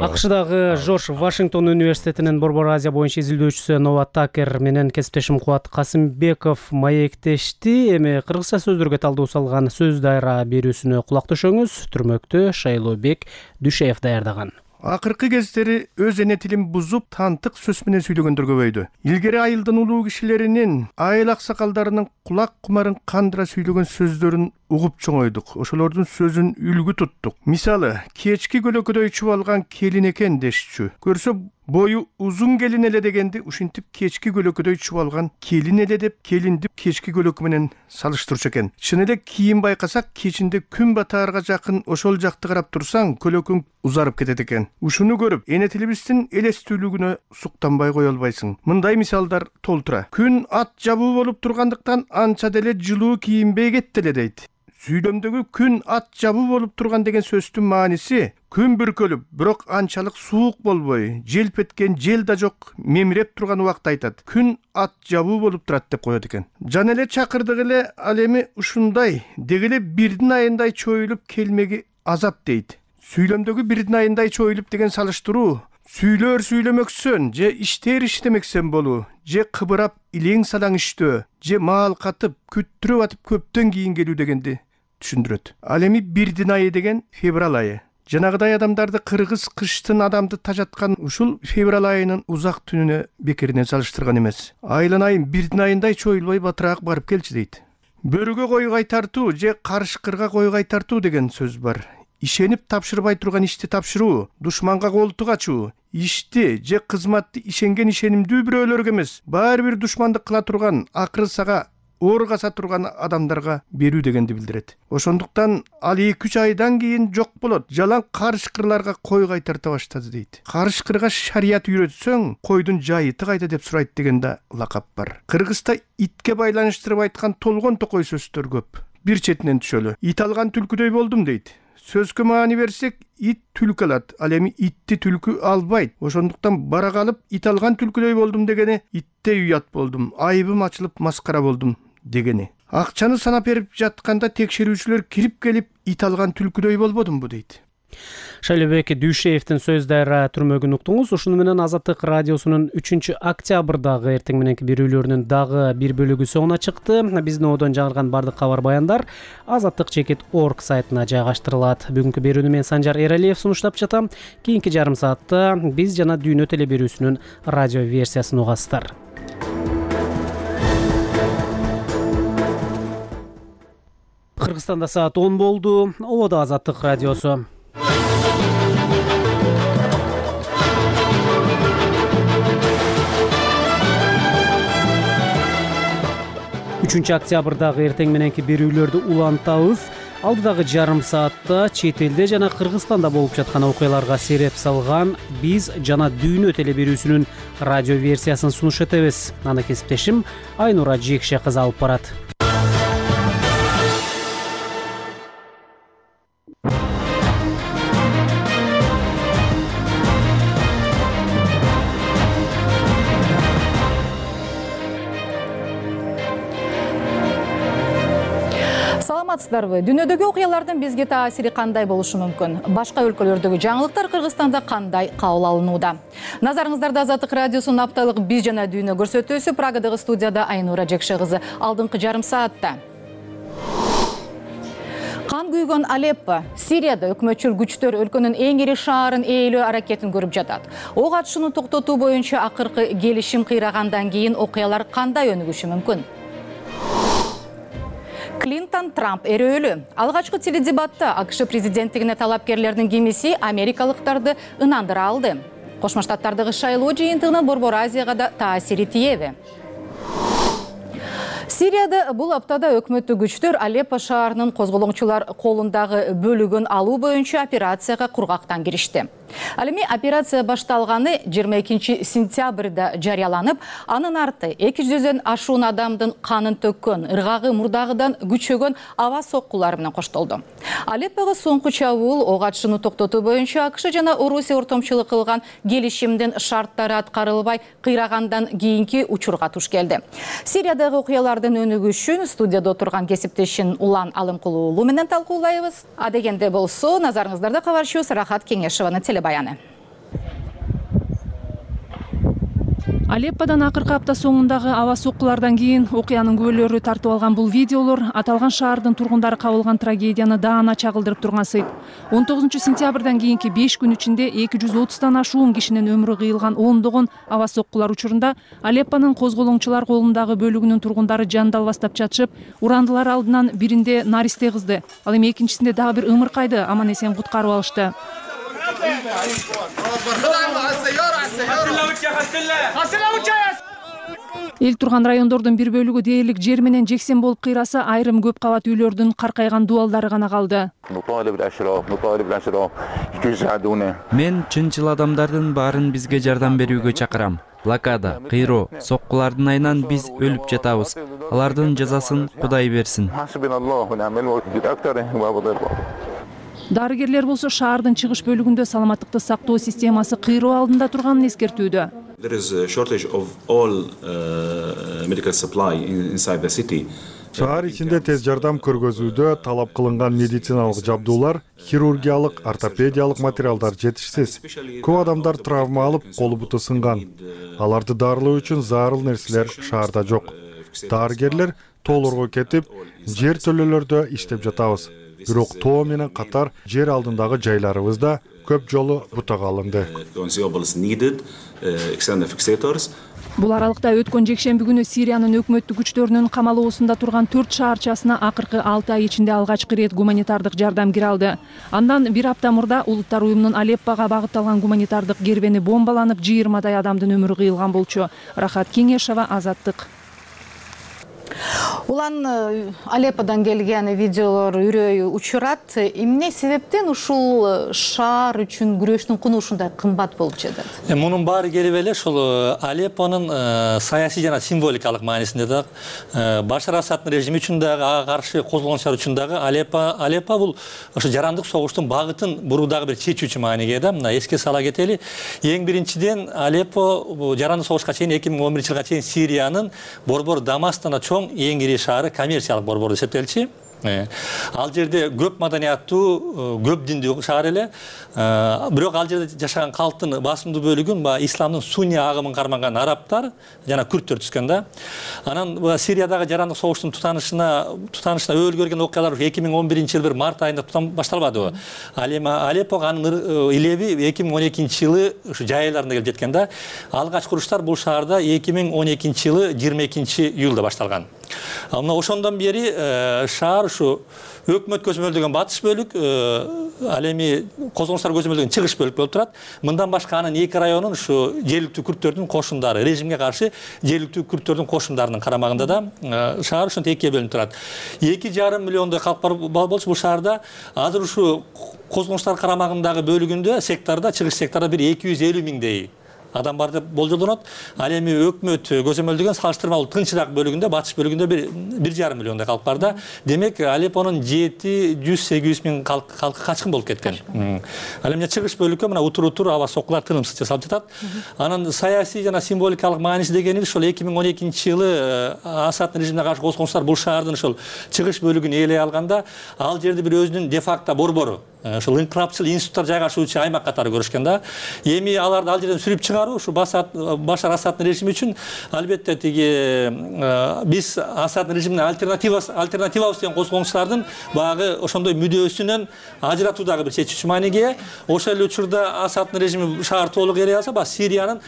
АКШдагы Жорж Вашингтон университетинин Борбор Азия боюнча изилдөөчүсү Нова Такер менен кесиптешим Кубат Касымбеков маектешти. Эми кыргызча сөздөргө талдоо салган сөз дайра берүүсүнө кулак төшөңүз. Түрмөктө Шайлообек Дүшеев даярдаган. Акыркы кездери өз эне тилин бузуп, тантык сөз менен сүйлөгөндөр көбөйдү. Илгери айылдын улуу кишилеринин, айыл аксакалдарынын кулак кумарын кандыра сүйлөгөн сөздөрүн угуп чоңойдук. Ошолордун сөзүн үлгү туттук. Мисалы, кечки көлөкөдөй чубалган келин экен дешчү. Көрсө бою узун келин эле дегенди ушинтип кечки көлөкөдөй чубалган келин эле деп келинди кечки көлөкө менен салыштырчу экен. Чын эле кийин байкасак, кечинде күн батаарга жакын ошол жакты карап турсаң, көлөкөң узарып кетет экен. Ушуну көрүп, эне тилибиздин элестүүлүгүнө суктанбай кое албайсың. Мындай мисалдар толтура. Күн ат жабуу болуп тургандыктан анча деле жылуу кийинбей кетти эле дейт. Сүйлөмдөгү күн ат жабуу болуп турган деген сөздүн мааниси күн бүркөлүп, бирок анчалык суук болбой, желп эткен жел да жок, мемиреп турган убакта айтат. Күн ат жабуу болуп турат деп коет экен. Жана эле чакырдык эле ал эми ушундай, деги эле бирдин айындай чоюлуп келмеги азап дейт. Сүйлөмдөгү бирдин айындай чоюлуп деген салыштыруу сүйлөр сүйлөмөксөн же иштер иштемексен болуу, же кыбырап илең салаң иштөө, же маал катып, күттүрүп атып көптөн кийин келүү дегенди түшүндүрөт. Ал эми бирдин айы деген февраль айы. Жанагыдай адамдарды кыргыз кыштын адамды тажаткан ушул февраль айынын узак түнүнө бекеринен салыштырган эмес. Айылын айын бирдин айындай чоюлбай батыраак барып келчи дейт. Бөрүгө кой кайтартуу же карышкырга кой кайтартуу деген сөз бар. Ишенип тапшырбай турган ишти тапшыруу, душманга колтук ачуу, ишти же кызматты ишенген ишенимдүү бирөөлөргө эмес, баары бир душмандык кыла турган акыры сага ооргаса турган адамдарга берүү дегенди билдирет. Ошондуктан ал 2-3 айдан кийин жок болот. Жалаң карышкырларга кой кайтарта баштады дейт. Карышкырга шарият үйрөтсөң, койдун жайыты кайда деп сурайт деген да лакап бар. Кыргызда итке байланыштырып айткан толгон токой сөздөр көп. Бир четинен түшөлү. Ит алган түлкүдөй болдум дейт. Сөзгө маани берсек, ит түлкү алат. Ал эми итти түлкү албайт. Ошондуктан бара калып ит алган түлкүдөй болдум дегени итте уят болдум, айыбым ачылып маскара болдум дегени. Акчаны санап берип жатканда текшерүүчүлөр кирип келип ит алган түлкүдөй болбодумбу дейт. Шайлообек Дүйшеевдин сөз дайра түрмөгүн уктуңуз. Ушуну менен Азаттык радиосунун 3-октябрдагы эртең мененки берүүлөрүнүн дагы бир бөлүгү соңуна чыкты. Биздин одон жаңырган бардык кабар баяндар azattik.org сайтына жайгаштырылат. Бүгүнкү берүүнү мен Санжар Эралиев сунуштап жатам. Кийинки жарым саатта биз жана дүйнө теле берүүсүнүн радио версиясын угасыздар. Кыргызстанда саат 10 болду. Ободо Азаттык радиосу. 3-октябрдагы эртең мененки берүүлөрдү улантабыз. Алдыдагы жарым саатта чет элде жана Кыргызстанда болуп жаткан окуяларга сереп салган биз жана дүйнө теле берүүсүнүн радио версиясын сунуш этебиз. Аны кесиптешим Айнура Жекше кызы алып барат. Саламатсыздарбы? Дүйнөдөгү окуялардын бизге таасири кандай болушу мүмкүн? Башка өлкөлөрдөгү жаңылыктар Кыргызстанда кандай кабыл алынууда? Назарыңыздарда Азаттык радиосунун апталык биз жана дүйнө көрсөтүүсү. Прагадагы студияда Айнура Жекше кызы. Алдыңкы жарым саатта кан күйгөн Алеппо, Сирияда өкмөтчүл күчтөр өлкөнүн эң ири шаарын ээлөө аракетин көрүп жатат. Ок атышууну токтотуу боюнча акыркы келишим кыйрагандан кийин окуялар кандай өнүгүшү мүмкүн? Клинтон Трамп эрөөлүү. Алгачкы теледебатта АКШ президенттигине талапкерлердин кимиси америкалыктарды ынандыра алды. Кошмо Штаттардагы шайлоо жыйынтыгынын Борбор Азияга да таасири тиеби? Сирияда бул аптада өкмөттүк күчтөр Алеппо шаарынын козголоңчулар колундагы бөлүгүн алуу боюнча операцияга кургактан киришти. Ал эми операция башталганы 22 сентябрда жарыяланып, анын арты 200дөн ашуун адамдын канын төккөн, ыргагы мурдагыдан күчөгөн аба соккулары менен коштолду. Алеппого соңку чабуул ок атышууну токтотуу боюнча АКШ жана Орусия ортомчулук кылган келишимдин шарттары аткарылбай кыйрагандан кийинки учурга туш келди. Сириядагы окуялардын өнүгүшүн студияда отурган кесиптешин Улан Алымкулуу уулу менен талкуулайбыз. А дегенде болсо, назарыңыздарда кабарчы Сарахат Кеңешованын телебаяны. Алепподан акыркы апта соңундагы аба соккулардан кийин окуянын күбөлөрү тартып алган бул видеолор аталган шаардын тургундары кабылган трагедияны даана чагылдырып турган сыйт. 19 сентябрдан кийинки 5 күн ичинде 230тан ашуун кишинин өмүрү кыйылган ондогон аба соккулар учурунда Алеппонун козголоңчулар колундагы бөлүгүнүн тургундары жандалбастап жатышып, урандылар алдынан биринде наристе кызды, ал эми экинчисинде дагы бир ымыркайды аман эсен куткарып алышты. Эл турган райондордун бир бөлүгү дээрлик жер менен жексен болуп кыйраса, айрым көп кабат үйлөрдүн каркайган дубалдары гана калды. Мен чынчыл адамдардын баарын бизге жардам берүүгө чакырам. Блокада, кыйроо, соккулардын айынан биз өлүп жатабыз. Алардын жазасын Кудай берсин. Дарыгерлер болсо шаардын чыгыш бөлүгүндө саламаттыкты сактоо системасы кыйроо алдында турганын эскертүүдө. Шаар ичинде тез жардам көргөзүүдө талап кылынган медициналык жабдуулар, хирургиялык, ортопедиялык материалдар жетишсиз. Көп адамдар травма алып, колу буту сынган. Аларды дарылоо үчүн зарыл нерселер шаарда жок. Дарыгерлер тоолорго кетип, жер төлөлөрдө иштеп жатабыз. Бирок тоо менен катар жер алдындагы жайларыбызда көп жолу бутага алынды. Бул аралыкта өткөн жекшемби күнү Сириянын өкмөттүк күчтөрүнүн камалоосунда турган 4 шаарчасына акыркы 6 ай ичинде алгачкы ирет гуманитардык жардам кире алды. Андан бир апта мурда Улуттар уюмунун Алеппого багытталган гуманитардык кербени бомбаланып, 20дай адамдын өмүрү кыйылган болчу. Рахат Кеңешова, Азаттык. Улан Алепподан келген видеолор үрөй учурат. Эмне себептен ушул шаар үчүн күрөштүн куну ушундай кымбат болуп жатат? Мунун баары келип эле ушул Алеппонун саясий жана символикалык маанисинде да Башар Асаддын режими үчүн дагы ага каршы козголгончулар үчүн дагы Алеппо бул ошо жарандык согуштун багытын буруудагы бир чечүүчү мааниге да. Мына эске сала кетели. Эң биринчиден Алеппо жарандык согушка чейин 2011-жылга чейин Сириянын борбор Дамастан чоң эң ири шаары, коммерциялык борбор эсептелчү. Ал жерде көп маданияттуу, көп диндүү шаар эле. Бирок ал жерде жашаган калктын басымдуу бөлүгүн исламдын сунни агымын карманган арабтар жана күрттөр түзгөн да. Анан Сириядагы жарандык согуштун тутанышына өбөл көргөн окуялар 2011-жылы бир март айында башталбадыбы. Ал эми Алеппого анын илеби 2012-жылы ушу жай айларында келип жеткен да. Алгач куруштар бул шаарда 2012-жылы 22-июлда башталган. Мына ошондон бери шаар ушу өкмөт көзөмөлдөгөн батыш бөлүк, ал эми козголгончулар көзөмөлдөгөн чыгыш бөлүк болуп турат. Мындан башка анын 2 районун ушу жергиликтүү күрттөрдүн кошундары, режимге каршы жергиликтүү күрттөрдүн кошундарынын карамагында да шаар ушинтип экиге бөлүнүп турат. 2,5 миллиондой калк бар болчу бул шаарда. Азыр ушу козголгончулар карамагындагы бөлүгүндө секторда, чыгыш секторда бир 250 миңдей адам бар деп болжолдонот. Ал эми өкмөт көзөмөлдөгөн салыштырмалуу тынчыраак бөлүгүндө, батыш бөлүгүндө 1,5 миллиондой калк бар да. Демек Алеппонун 700-800 миң калкы качкын болуп кеткен. Ал эми чыгыш бөлүккө мына утур аба соккулар тынымсыз жасалып жатат. Анын саясий жана символикалык мааниси дегени ошол 2012-жылы Асаддын режимине каршы козголгончулар бул шаардын ошол чыгыш бөлүгүн ээлей алганда, ал жерде бир өзүнүн де-факто борбору, ошол инкырапчыл институттар жайгашуучу аймак катары көрүшкөн да. Эми аларды ал жерден сүрүп чыгаруу ушу Башар Асаддын режими үчүн албетте тиги биз Асаддын режимине альтернативабыз деген козголгончулардын багы ошондой мүдөөсүнөн ажыратуудагы бир чечүүчү мааниге. Ошол эле учурда Асаддын режими шаар толук ээлей алса, Сириянын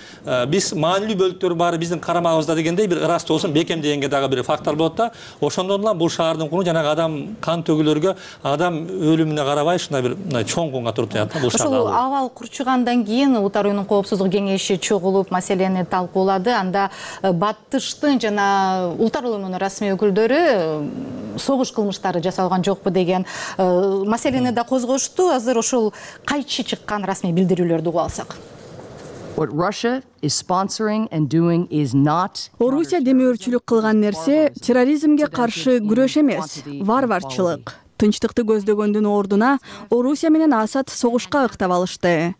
биз маанилүү бөлүктөрү баары биздин карамагыбызда дегендей бир ырастоосун бекемдегенге дагы бир фактор болот да. Ошондон улам бул шаардын куну жанагы адам кан төгүлөргө, адам өлүмүнө карабай ушундай бир чоң кунга туруп жатат бул шаарда. Ошол абал курчугандан кийин Улуттар уюмунун коопсуздук кеңеши чогулуп маселени талкуулады. Анда Баттыштын жана Улуттар уюмунун расмий өкүлдөрү согуш кылмыштары жасалган жокпу деген маселени да козгошту. Азыр ошол кайчы чыккан расмий билдирүүлөрдү угуп алсак. Орусия демөөрчүлүк кылган нерсе терроризмге каршы күрөш эмес, варварчылык. Тынчтыкты көздөгөндүн ордуна Орусия менен Асад согушка ыктап алышты.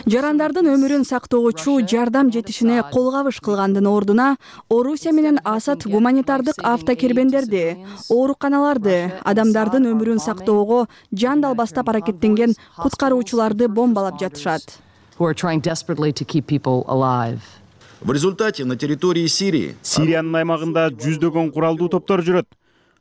Жарандардын өмүрүн сактоочу жардам жетишине колгабыш кылгандын ордуна Орусия менен Асад гуманитардык автокербендерди, ооруканаларды, адамдардын өмүрүн сактоого жан далбастап аракеттенген куткаруучуларды бомбалап жатышат. В результате на территории Сирии Сириянын аймагында жүздөгөн куралдуу топтор жүрөт.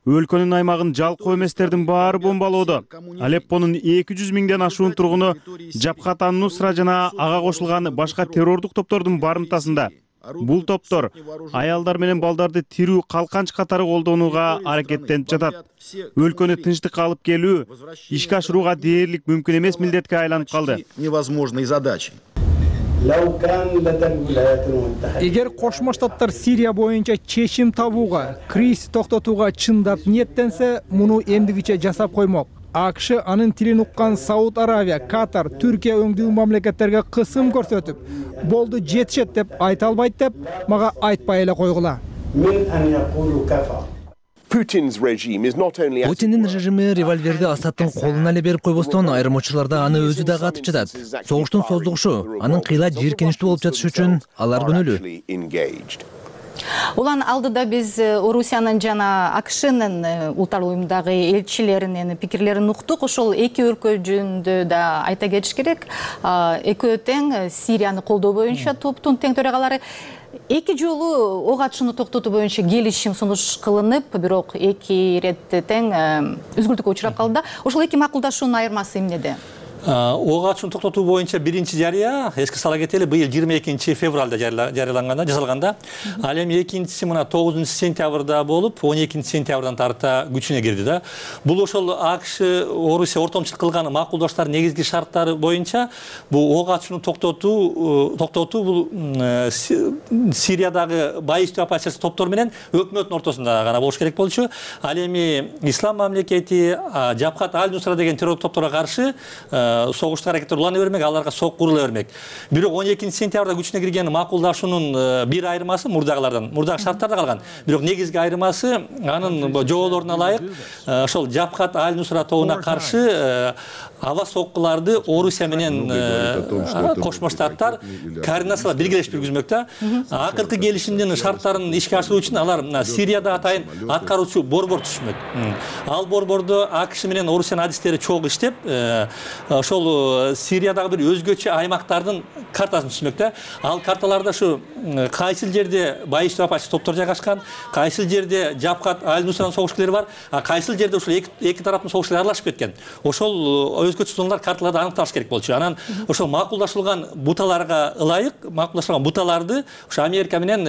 Өлкөнүн аймагын жалкоо эместердин баары бомбалоодо. Алеппонун 200 миңден ашуун тургуну Жабхат ан-Нусра жана ага кошулган башка террордук топтордун барымтасында. Бул топтор аялдар менен балдарды тирүү калканч катары колдонууга аракеттенип жатат. Өлкөнү тынчтыкка алып келүү ишке ашырууга дээрлик мүмкүн эмес милдетке айланып калды. Невозможной задачей. Эгер Кошмо Штаттар Сирия боюнча чечим табууга, кризисти токтотууга чындап ниеттенсе, муну эмдигиче жасап коймок. АКШ анын тилин уккан Сауд Аравия, Катар, Түркия өңдүү мамлекеттерге кысым көрсөтүп, болду жетишет деп айта албайт деп мага айтпай эле койгула. Путиндин режими револьверди Асаддын колуна эле берип койбостон, айрым учурларда аны өзү дагы атып жатат. Согуштун создугушу, анын кыйла жийиркеничтүү болуп жатышы үчүн алар күнөөлүү. Улан алдыда биз Орусиянын жана АКШнын Улуттар уюмундагы элчилеринин пикирлерин уктук. Ошол эки өлкө жөнүндө да айта кетиш керек. Экөө тең Сирияны колдоо боюнча топтун тең төрагалары эки жолу ок атышууну токтотуу боюнча келишим сунуш кылынып, бирок эки ирет тең үзгүлтүккө учурап калды да. Ошол эки макулдашуунун айырмасы эмнеде? ок атышууну токтотуу боюнча биринчи жарыя эске сала кетели быйыл 22 февралда жарыяланганда жасалганда, ал эми экинчиси мына 9 сентябрда болуп 12 сентябрдан тарта күчүнө кирди да. Бул ошол АКШ Орусия ортомчулук кылган макулдаштардын негизги шарттары боюнча бул ок атышууну токтотуу бул Сириядагы байыстуу оппозиция топтор менен өкмөттүн ортосунда гана болуш керек болчу. Ал эми Ислам мамлекети, Жабхат аль-Нусра деген террор топторго каршы согуштук аракеттер улана бермек, аларга сок курула бермек. Бирок 12 сентябрда күчүнө кирген макулдашуунун бир айырмасы мурдагы шарттарда калган. Бирок негизги айырмасы анын жоолоруна ылайык ошол Жабхат аль-Нусра тобуна каршы аба соккуларды Орусия менен Кошмо Штаттар координациялап биргелешип жүргүзмөк да. Акыркы келишимдин шарттарын ишке ашыруу үчүн алар Сирияда атайын аткаруучу борбор түзмөк. Ал борбордо АКШ менен Орусиянын адистери чогуу иштеп, ошол Сириядагы бир өзгөчө аймактардын картасын түзмөк да. Ал карталарда ушу кайсыл жерде байыстуу оппозиция топтор жайгашкан, кайсыл жерде Жабхат аль-Нусранын согушкерлери бар, кайсыл жерде ушул эки тараптын согушкерлери аралашып кеткен. Ошол өзгөчө зоналар карталарда аныкталыш керек болчу. Анан ошол макулдашылган буталарга ылайык, макулдашылган буталарды ушу Америка менен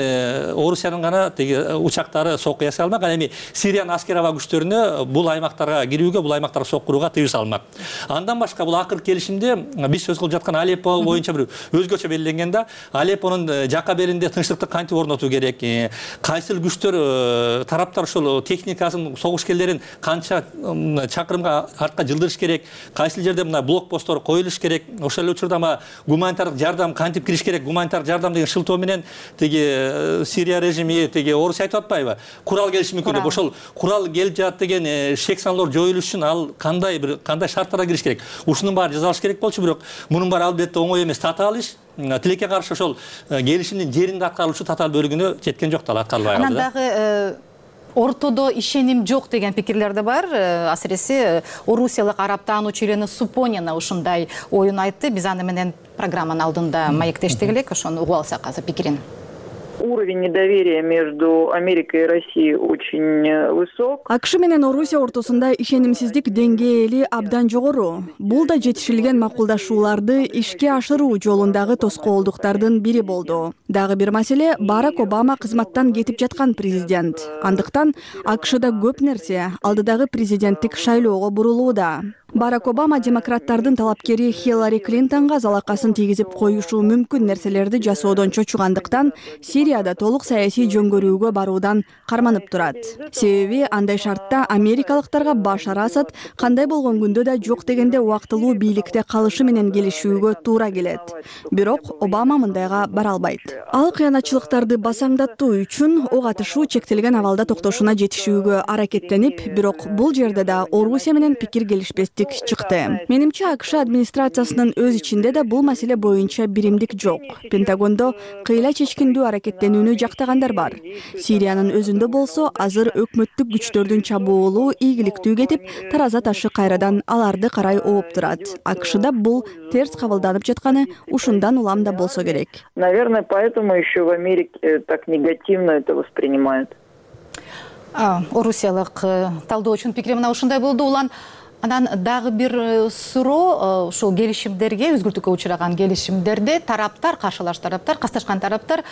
Орусиянын гана теги учактары сокко ясай алмак. Ал эми Сириянын аскер аба күчтөрүнө бул аймактарга кирүүгө, бул аймактарга сок курууга тыюу салынмак. Андан башка бул акыркы келишимде биз сөз кылып жаткан Алеппо боюнча бир өзгөчө белгиленген да. Алеппонун жака беринде тынчтыкты кантип орнотуу керек, кайсыл күчтөр тараптар ошол техникасын, согушкерлерин канча чакырымга артка жылдырыш керек, кайсыл жерде мына блокпосттор коюлуш керек, ошол эле учурда гуманитардык жардам кантип кириш керек, гуманитардык жардам деген шылтоо менен теги Сирия режими теги Орусия айтып атпайбы? Курал келиши мүмкүн деп. Ошол курал келип жатат деген шек саналар жоюлуш үчүн ал кандай шарттарга кириш керек? Ушунун баары жасалыш керек болчу, бирок мунун баары албетте оңой эмес. Татаал иш. Тилекке каршы ошол келишимдин жеринде аткарылуучу татаал бөлүгүнө жеткен жок да, аткарылбай калды. Анан дагы ортодо ишеним жок деген пикирлер да бар. Асыресе орусиялык араб таануучу Елена Супонина ушундай оюн айтты. Биз аны менен программанын алдында маектештик элек, ошону угуп алсак азыр пикирин. Уровень недоверия между Америкой и Россией очень высок. АКШ менен Орусия ортосунда ишенимсиздик деңгээли абдан жогору. Бул да жетишилген макулдашууларды ишке ашыруу жолундагы тоскоолдуктардын бири болду. Дагы бир маселе, Барак Обама кызматтан кетип жаткан президент. Андыктан АКШда көп нерсе алдыдагы президенттик шайлоого бурулууда. Барак Обама демократтардын талапкери Хиллари Клинтонго залакасын тийгизип коюшу мүмкүн нерселерди жасоодон чочугандыктан Сирияда толук саясий жөнгөрүүгө баруудан карманып турат. Себеби андай шартта америкалыктарга Башар Асад кандай болгон күндө да жок дегенде убактылуу бийликте калышы менен келишүүгө туура келет. Бирок Обама мындайга бара албайт. Ал кыянатчылыктарды басаңдатуу үчүн ок атышуу чектелген абалда токтошуна жетишүүгө аракеттенип, бирок бул жерде да Орусия менен пикир келишпестик чыкты. Менимче АКШ администрациясынын өз ичинде да бул маселе боюнча биримдик жок. Пентагондо кыйла чечкиндүү аракеттенүүнү жактагандар бар. Сириянын өзүндө болсо азыр өкмөттүк күчтөрдүн чабуулу ийгиликтүү кетип, тараза ташы кайрадан аларды карай ооп турат. АКШда бул терс кабылданып жатканы ушундан улам да болсо керек. Наверное, поэтому еще в Америке так негативно это воспринимают. Орусиялык талдоочунун пикири мына ушундай болду. Улан анан дагы бир суроо, ушул келишимдерге, өзгөртүүгө учураган келишимдерде тараптар, каршылаш тараптар, касташкан тараптар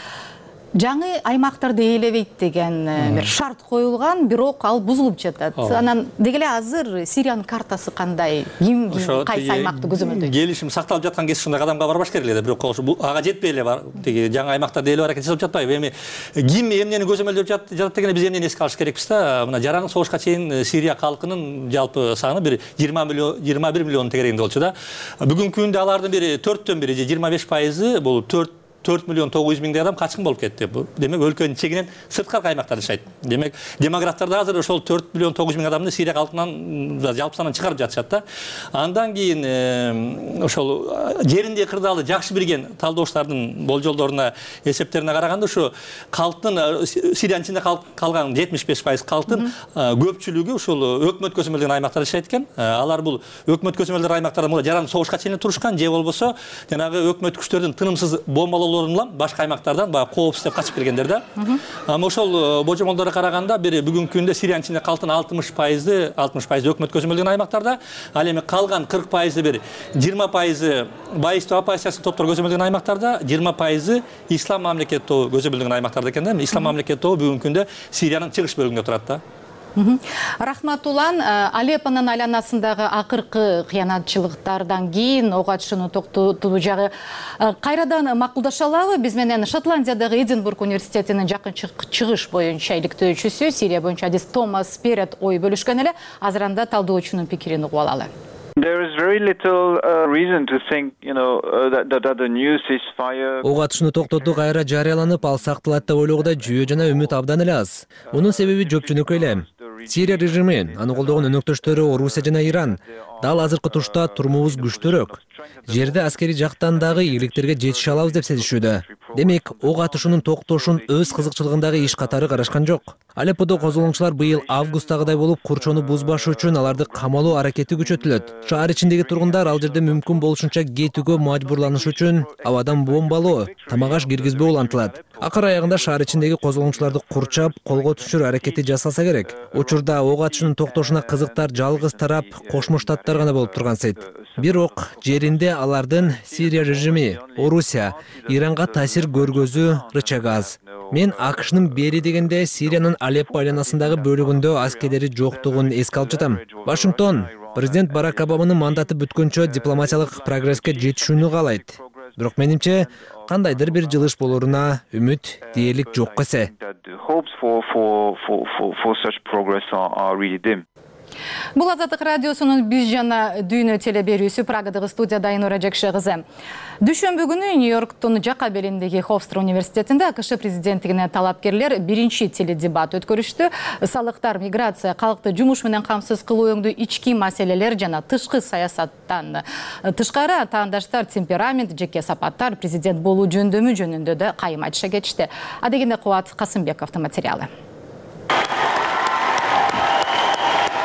жаңы аймактарды ээлебейт деген бир шарт коюлган, бирок ал бузулуп жатат. Анан деги эле азыр Сириянын картасы кандай? Ким кайсы аймакты көзөмөлдөйт? Келишим сакталып жаткан кезде ушундай кадамга барбаш керек эле, бирок ага жетпей эле бар. Теги жаңы аймактарды ээлеп аракет жасап жатпайбы? Эми ким эмнени көзөмөлдөп жатат дегенде биз эмнени эске алыш керекпиз да? Мына жаран согушка чейин Сирия калкынын жалпы саны бир 21 миллион тегерегинде болчу да. Бүгүнкү күндө алардын бири 4төн бири же 25% бул 4 миллион 900 миңдей адам качкын болуп кетти. Демек өлкөнүн чегинен сырткары аймактарда жашайт. Демек демографтар да азыр ошол 4 миллион 900 миң адамды Сирия калкынан жалпы сандан чыгарып жатышат да. Андан кийин ошол жеринде кырдаалы жакшы билген талдоочулардын болжолдоруна, эсептерине караганда ушу калктын Сириянын ичинде калган 75% калктын көпчүлүгү ушул өкмөт көзөмөлдөгөн аймактарда жашайт экен. Алар бул өкмөт көзөмөлдөгөн аймактарда жаран согушка чейин турушкан же болбосо жанагы өкмөт күчтөрдүн тынымсыз бомбалоо колдоолорун улам башка аймактардан баягы коопсуз деп качып келгендер да. Ошол божомолдорго караганда бир бүгүнкү күндө Сириянын ичинде калган 60% өкмөт көзөмөлдөгөн аймактарда, ал эми калган 40% бир 20% байыстуу оппозициялык топтор көзөмөлдөгөн аймактарда, 20% ислам мамлекет тобу көзөмөлдөгөн аймактарда экен да. Ислам мамлекет тобу бүгүнкү күндө Сириянын чыгыш бөлүгүндө турат да. Рахматуллан, Алеппонун айланасындагы акыркы кыянатчылыктардан кийин ок атышууну токтотуу жагы кайрадан макулдаша алабы? Биз менен Шотландиядагы Эдинбург университетинин жакын чыгыш боюнча иликтөөчүсү, Сирия боюнча адист Томас Перет ой бөлүшкөн эле. Азыр анда талдоочунун пикирин угуп алалы. There is very little reason to think, that the new ceasefire. Ок атышууну токтотуу кайра жарыяланып, ал сакталат деп ойлоого жүйө жана үмүт абдан эле аз. Мунун себеби жөпчүнүккө эле. Сирия режими, аны колдогон өнөктөштөрү Орусия жана Иран дал азыркы тушта турмубуз күчтүүрөөк. Жерде аскери жактан дагы ийгиликтерге жетише алабыз деп сезишүүдө. Демек, ок атышуунун токтошун өз кызыкчылыгындагы иш катары карашкан жок. Алепподо козголоңчулар быйыл августтагыдай болуп курчоону бузбаш үчүн аларды камалоо аракети күчөтүлөт. Шаар ичиндеги тургундар ал жерде мүмкүн болушунча кетүүгө мажбурланыш үчүн абадан бомбалоо, тамак аш киргизбөө улантылат. Акыр аягында шаар ичиндеги козголоңчуларды курчап, колго түшүрүү аракети жасалса керек. Учурда ок атышуунун токтошуна кызыктар жалгыз тарап Кошмо Штаттар гана болуп тургансыйт. Бирок жеринде алардын Сирия режими, Орусия, Иранга таасир көргөзүү рычагы аз. Мен АКШнын бери дегенде Сириянын Алеппо айланасындагы бөлүгүндө аскерлери жоктугун эске алып жатам. Вашингтон президент Барак Обаманын мандаты бүткөнчө дипломатиялык прогресске жетишүүнү каалайт. Бирок менимче кандайдыр бир жылыш болоруна үмүт дээрлик жок эсе. Бул Азаттык радиосунун Биз жана Дүйнө телеберүүсү, Прагадагы студияда Айнура Жакшы кызы. Дүйшөмбү күнү Нью-Йорктун жака белиндеги Хофстер университетинде АКШ президенттигине талапкерлер биринчи теледебат өткөрүштү. Салыктар, миграция, калкты жумуш менен камсыз кылуу өңдүү ички маселелер жана тышкы саясаттан тышкары атаандаштар темперамент, жеке сапаттар, президент болуу жөндөмү жөнүндө да кайым айтыша кетишти. Адегенде Кубат Касымбековдун материалы.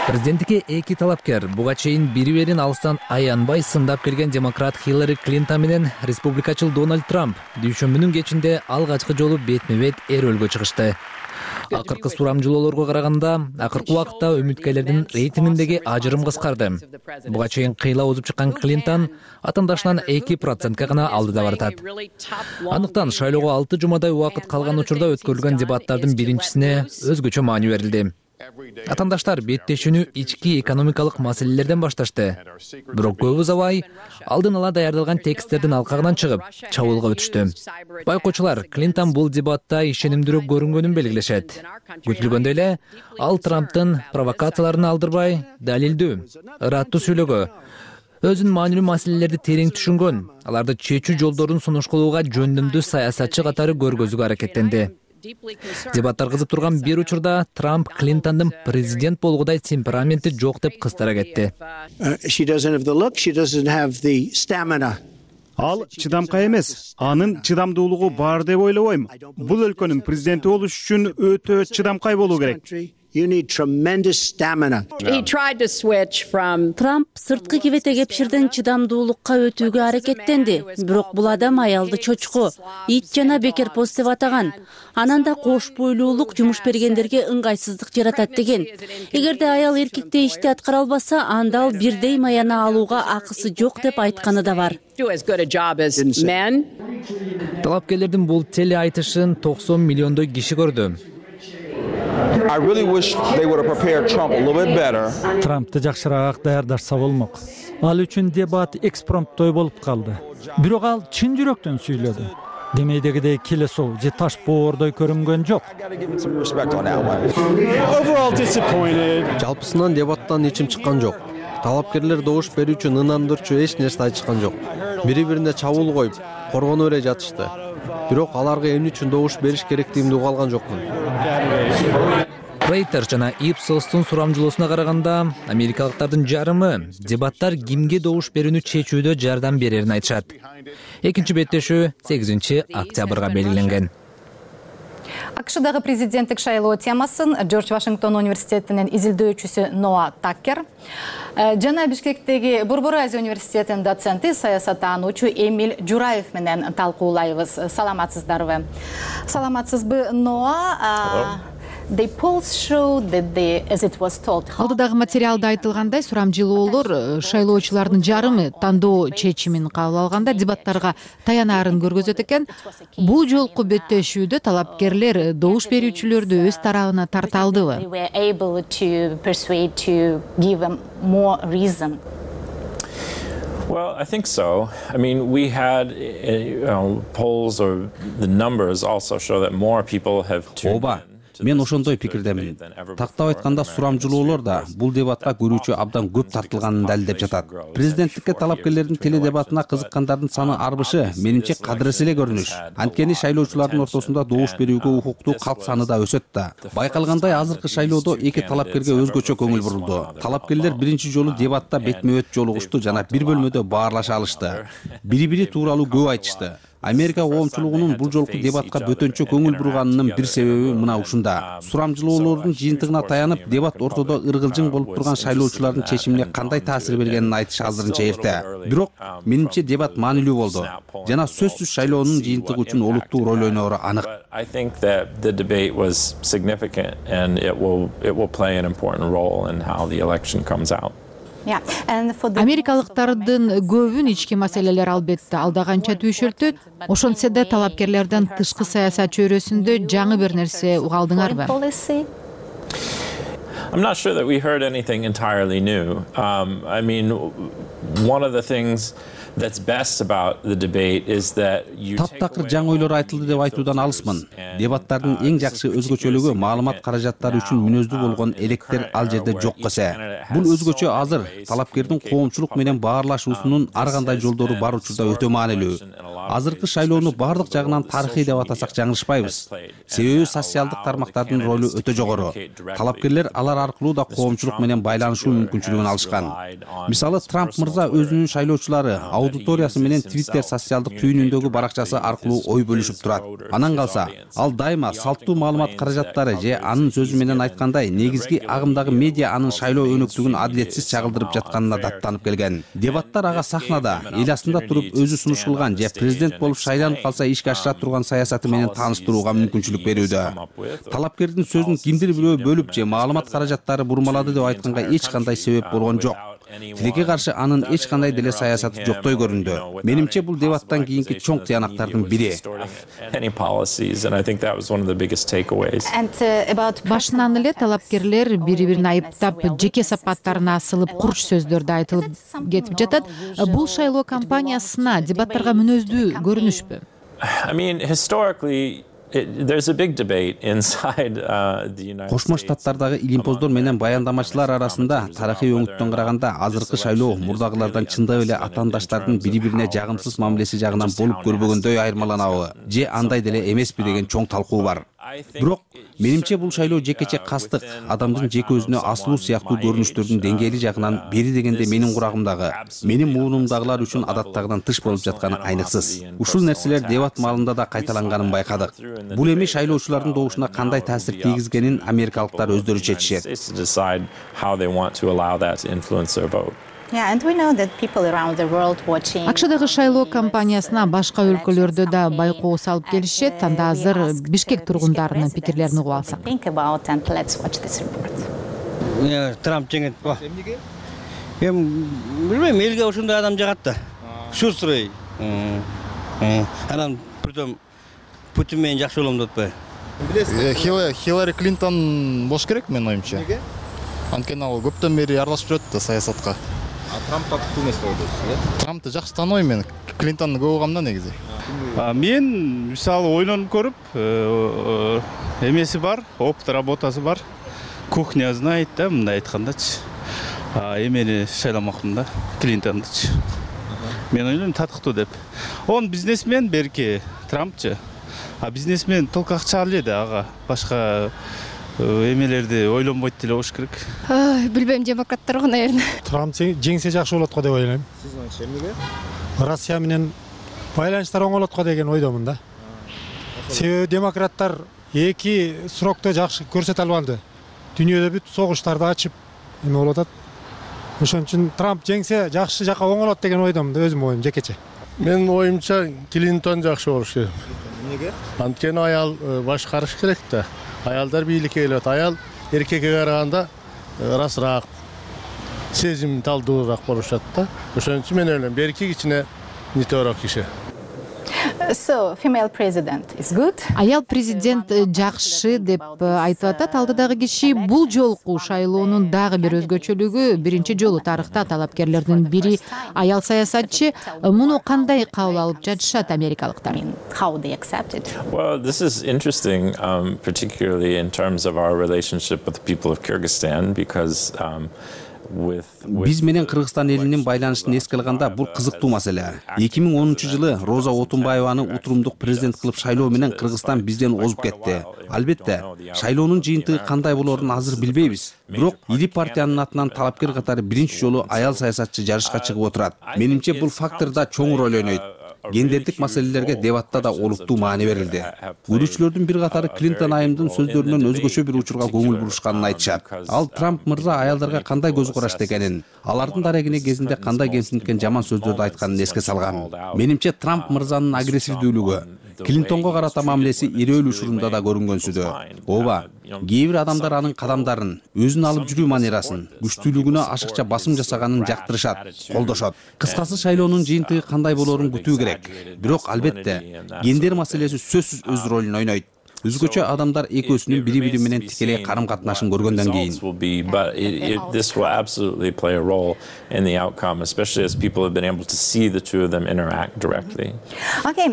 Президенттикке эки талапкер буга чейин бири-бирин алыстан аянбай сындап келген демократ Хиллари Клинтон менен республикачыл Дональд Трамп дүйшөмбүнүн кечинде алгачкы жолу бетме-бет эрөөлгө чыгышты. Акыркы сурамжылоолорго караганда, акыркы убакытта үмүткерлердин рейтингиндеги ажырым кыскарды. Буга чейин кыйла озуп чыккан Клинтон атаандашынан 2%га гана алдыда баратат. Андыктан шайлоого 6 жумадай убакыт калган учурда өткөрүлгөн дебаттардын биринчисине өзгөчө маани берилди. Атаандаштар беттешүүнү ички экономикалык маселелерден башташты. Бирок көп узабай алдын ала даярдалган тексттердин алкагынан чыгып, чабуулга өтүштү. Байкоочулар Клинтон бул дебатта ишенимдүүрөөк көрүнгөнүн белгилешет. Күтүлгөндөй эле, ал Трамптын провокацияларын алдырбай, далилдүү, ыраттуу сүйлөгө, өзүнүн маанилүү маселелерди терең түшүнгөн, аларды чечүү жолдорун сунуштоого жөндөмдүү саясатчы катары көргөзүүгө аракеттенди. Дебаттар кызып турган бир учурда Трамп Клинтондун президент болгудай темпераменти жок деп кыстара кетти. Ал чыдамкай эмес, анын чыдамдуулугу бар деп ойлобойм. Бул өлкөнүн президенти болуш үчүн өтө чыдамкай болуу керек. Трамп сырткы кебете кепширден чыдамдуулукка өтүүгө аракеттенди. Бирок бул адам аялды чочко, ит жана бекер пост деп атаган. Анан да кош бойлуулук жумуш бергендерге ыңгайсыздык жаратат деген. Эгерде аял эркекте ишти аткара албаса, анда ал бирдей маяна алууга акысы жок деп айтканы да бар. Талапкерлердин бул теле айтышын 90 миллиондой киши көрдү. Трампты жакшыраак даярдашса болмок. Ал үчүн дебат экспромттой болуп калды. Бирок ал чын жүрөктөн сүйлөдү. Демейдегидей келесоо же таш боордой көрүнгөн жок. Жалпысынан дебаттан ичим чыккан жок. Талапкерлер добуш берүүчү ынандырчу эч нерсе айтышкан жок. Бири-бирине чабуул коюп, коргонуп эле жатышты. Бирок аларга эмне үчүн добуш бериш керектигин уга алган жокмун. Рейтер жана Ипсостун сурамжылоосуна караганда, америкалыктардын жарымы дебаттар кимге добуш берүүнү чечүүдө жардам берерин айтышат. Экинчи беттешүү 8 октябрга белгиленген. АКШдагы президенттик шайлоо темасын Джордж Вашингтон университетинин изилдөөчүсү Ноа Таккер жана Бишкектеги Борбор Азия университетинин доценти саясаттануучу Эмиль Жураев менен талкуулайбыз. Саламатсыздарбы? Саламатсызбы, Ноа? Алдыдагы материалда айтылгандай, сурамжылоолор шайлоочулардын жарымы тандоо чечимин кабыл алганда дебаттарга таянарын көргөзөт экен. Бул жолку беттешүүдө талапкерлер добуш берүүчүлөрдү өз тарабына тарта алдыбы? Well, I think so. I mean, we had polls or the numbers also show that more people have tuned in. Мен ошондой пикирдемин. Тактап айтканда, сурамжылоолор да бул дебатка көрүүчү абдан көп тартылганын далилдеп жатат. Президенттикке талапкерлердин теле дебатына кызыккандардын саны арбышы менимче кадырес эле көрүнүш. Анткени шайлоочулардын ортосунда добуш берүүгө укуктуу калк саны да өсөт да. Байкалгандай, азыркы шайлоодо эки талапкерге өзгөчө көңүл бурулду. Талапкерлер биринчи жолу дебатта бетме-бет жолугушту жана бир бөлмөдө баарлаша алышты. Бири-бири тууралуу көп айтышты. Америка коомчулугунун бул жолку дебатка бөтөнчө көңүл бурганынын бир себеби мына ушунда. Сурамжылоолордун жыйынтыгына таянып, дебат ортодо ыргылжың болуп турган шайлоочулардын чечимине кандай таасир бергенин айтыш азырынча эрте. Бирок менимче дебат маанилүү болду. Жана сөзсүз шайлоонун жыйынтыгы үчүн олуттуу роль ойноору анык. I think that the debate was significant and it will play an important role in how the election comes out. Америкалыктардын көбүн ички маселелер албетте алдаганча түйшөлтөт. Ошентсе да талапкерлерден тышкы саясат чөйрөсүндө жаңы бир нерсе угалдыңарбы? I'm not sure that we heard anything entirely new. I mean, one of the things that's best about the debate is that you Таптакыр жаңы ойлор айтылды деп айтуудан алысмын. Дебаттардын эң жакшы өзгөчөлүгү маалымат каражаттары үчүн мүнөздүү болгон электер ал жерде жок эсе. Бул өзгөчө азыр талапкердин коомчулук менен баарлашуусунун ар кандай жолдору бар учурда өтө маанилүү. Азыркы шайлоону бардык жагынан тарыхый деп атасак жаңылышпайбыз. Себеби социалдык тармактардын ролу өтө жогору. Талапкерлер алар аркылуу да коомчулук менен байланышуу мүмкүнчүлүгүн алышкан. Мисалы, Трамп мырза өзүнүн шайлоочулары аудиториясы менен Twitter социалдык түйүнүндөгү баракчасы аркылуу ой бөлүшүп турат. Анан калса, ал дайыма салттуу маалымат каражаттары же анын сөзү менен айткандай, негизги агымдагы медиа анын шайлоо өнөктүгүн адилетсиз чагылдырып жатканына даттанып келген. Дебаттар ага сахнада, эл астында туруп өзү сунуш кылган же президент болуп шайланып калса ишке ашыра турган саясаты менен тааныштырууга мүмкүнчүлүк берүүдө. Талапкердин сөзүн кимдир бирөө бөлүп же маалымат каражаттары бурмалады деп айтканга эч кандай себеп болгон жок. Тилекке каршы анын эч кандай деле саясаты жоктой көрүндү. Менимче бул дебаттан кийинки чоң тыянактардын бири. Башынан эле талапкерлер бири-бирин айыптап, жеке сапаттарына асылып, курч сөздөрдү айтылып кетип жатат. Бул шайлоо кампаниясына дебаттарга мүнөздүү көрүнүшпү? I mean, historically, there's a big debate inside the United States. Кошмо Штаттардагы илимпоздор менен баяндамачылар арасында тарыхый өңүттөн караганда азыркы шайлоо мурдагылардан чындап эле атаандаштардын бири-бирине жагымсыз мамилеси жагынан болуп көрбөгөндөй айырмаланабы же андай деле эмеспи деген чоң талкуу бар. Бирок менимче бул шайлоо жекече кастык, адамдын жеке өзүнө асылуу сыяктуу көрүнүштөрдүн деңгээли жагынан бери дегенде менин курагымдагы, менин муунумдагылар үчүн адаттагыдан тыш болуп жатканы айныксыз. Ушул нерселер дебат маалында да кайталанганын байкадык. Бул эми шайлоочулардын добушуна кандай таасир тийгизгенин америкалыктар өздөрү чечишет. АКШдагы шайлоо кампаниясына башка өлкөлөрдө да байкоо салып келишет. Анда азыр Бишкек тургундарынын пикирлерин угуп алсак. Трамп жеңет ба. Эми билбейм, элге ошондой адам жагат да. Шустрый. Анан притом Путин менен жакшы болом деп атпайбы? Хиллари Клинтон бош керек менин оюмча. Анткени ал көптөн бери аралашып жүрөт да саясатка. Трампка күтүү эмес болду. Трампты жакшы тааныбайм мен. Клинтонду көп угам да негизи. Мен мисалы ойлонуп көрүп, эмеси бар, опыт работасы бар. Кухня знает да, мындай айткандачы. Эмени шайламакмын да, Клинтондучу. Мен ойлойм татыктуу деп. Он бизнесмен берки, Трампчы. Бизнесмен толку акча алды ага. Башка эмелерди ойлонбойт деле болуш керек. Билбейм, демократтарга, наверное. Трамп жеңсе жакшы болот го деп ойлойм. Сиз эмнеге? Россия менен байланыштар оңолот го деген ойдомун да. Себеби демократтар эки срокто жакшы көрсөтө албады. Дүйнөдө бүт согуштарды ачып эме болуп атат. Ошон үчүн Трамп жеңсе жакшы жака оңолот деген ойдомун да, өзүмдүн оюм жекече. Менин оюмча Клинтон жакшы болуш керек. Эмнеге? Анткени аял башкарыш керек да. Аялдар бийликке келет. Аял эркекке караганда расыраак, сезим талдуураак болушат да. Ошон үчүн мен ойлойм, эркек ичине нитөөрөөк киши. So, female president is good. Аял президент жакшы деп айтып атат алдыдагы киши. Бул жолку шайлоонун дагы бир өзгөчөлүгү, биринчи жолу тарыхта талапкерлердин бири аял саясатчы. Муну кандай кабыл алып жатышат америкалыктар? How they accept it? Well, this is interesting, particularly in terms of our relationship with the people of Kyrgyzstan, because биз менен Кыргызстан элинин байланышын эске алганда бул кызыктуу маселе. 2010-жылы Роза Отунбаеваны утурумдук президент кылып шайлоо менен Кыргызстан бизден озуп кетти. Албетте, шайлоонун жыйынтыгы кандай болоорун азыр билбейбиз. Бирок Ири партиянын атынан талапкер катары биринчи жолу аял саясатчы жарышка чыгып отурат. Менимче бул фактор да чоң роль ойнойт. Гендердик маселелерге дебатта да олуттуу маани берилди. Көрүүчүлөрдүн бир катары Клинтон айымдын сөздөрүнөн өзгөчө бир учурга көңүл бурушканын айтышат. Ал Трамп мырза аялдарга кандай көз карашты экенин, алардын дарегине кезинде кандай кемсинткен жаман сөздөрдү айтканын эске салган. Менимче Трамп мырзанын агрессивдүүлүгү, Клинтонго карата мамилеси ирөөл учурунда да көрүнгөнсүдө. Ооба, кээ бир адамдар анын кадамдарын, өзүн алып жүрүү манерасын, күчтүүлүгүнө ашыкча басым жасаганын жактырышат, колдошот. Кыскасы шайлоонун жыйынтыгы кандай болоорун күтүү керек. Бирок албетте, гендер маселеси сөзсүз өз ролун ойнойт. Өзгөчө адамдар экөөсүнүн бири-бири менен тикелей карым-катнашын көргөндөн кийин. This will absolutely play a role in the outcome, especially as people have been able to see the two of them interact directly. Okay,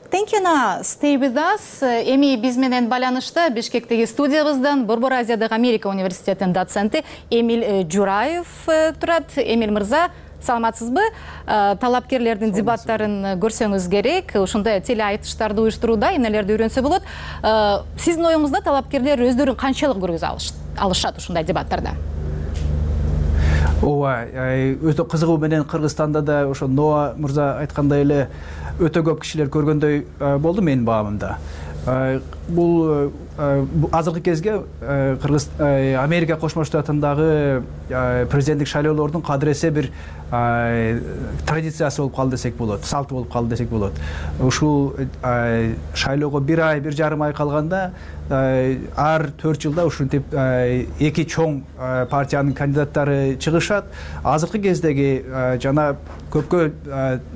thank you now. Stay with us. Эми биз менен байланышта Бишкектеги студиябыздан Борбор Азиядагы Америка университетинин доценти Эмиль Жураев турат. Эмиль мырза, саламатсызбы? Талапкерлердин дебаттарын көрсөңүз керек. Ушундай теле айтыштарды уюштурууда эмнелерди үйрөнсө болот. Сиздин оюңузда талапкерлер өздөрүн канчалык көргөзө алышат ушундай дебаттарда? Ооба, өтө кызыгуу менен Кыргызстанда да ошо Ноа мырза айткандай эле өтө көп кишилер көргөндөй болду менин баамымда. Бул азыркы кезге Америка Кошмо Штатындагы президенттик шайлоолордун кадыресе бир традициясы болуп калды десек болот, салты болуп калды десек болот. Ушул шайлоого бир ай, бир жарым ай калганда ар 4 жылда ушинтип эки чоң партиянын кандидаттары чыгышат. Азыркы кездеги жана көпкө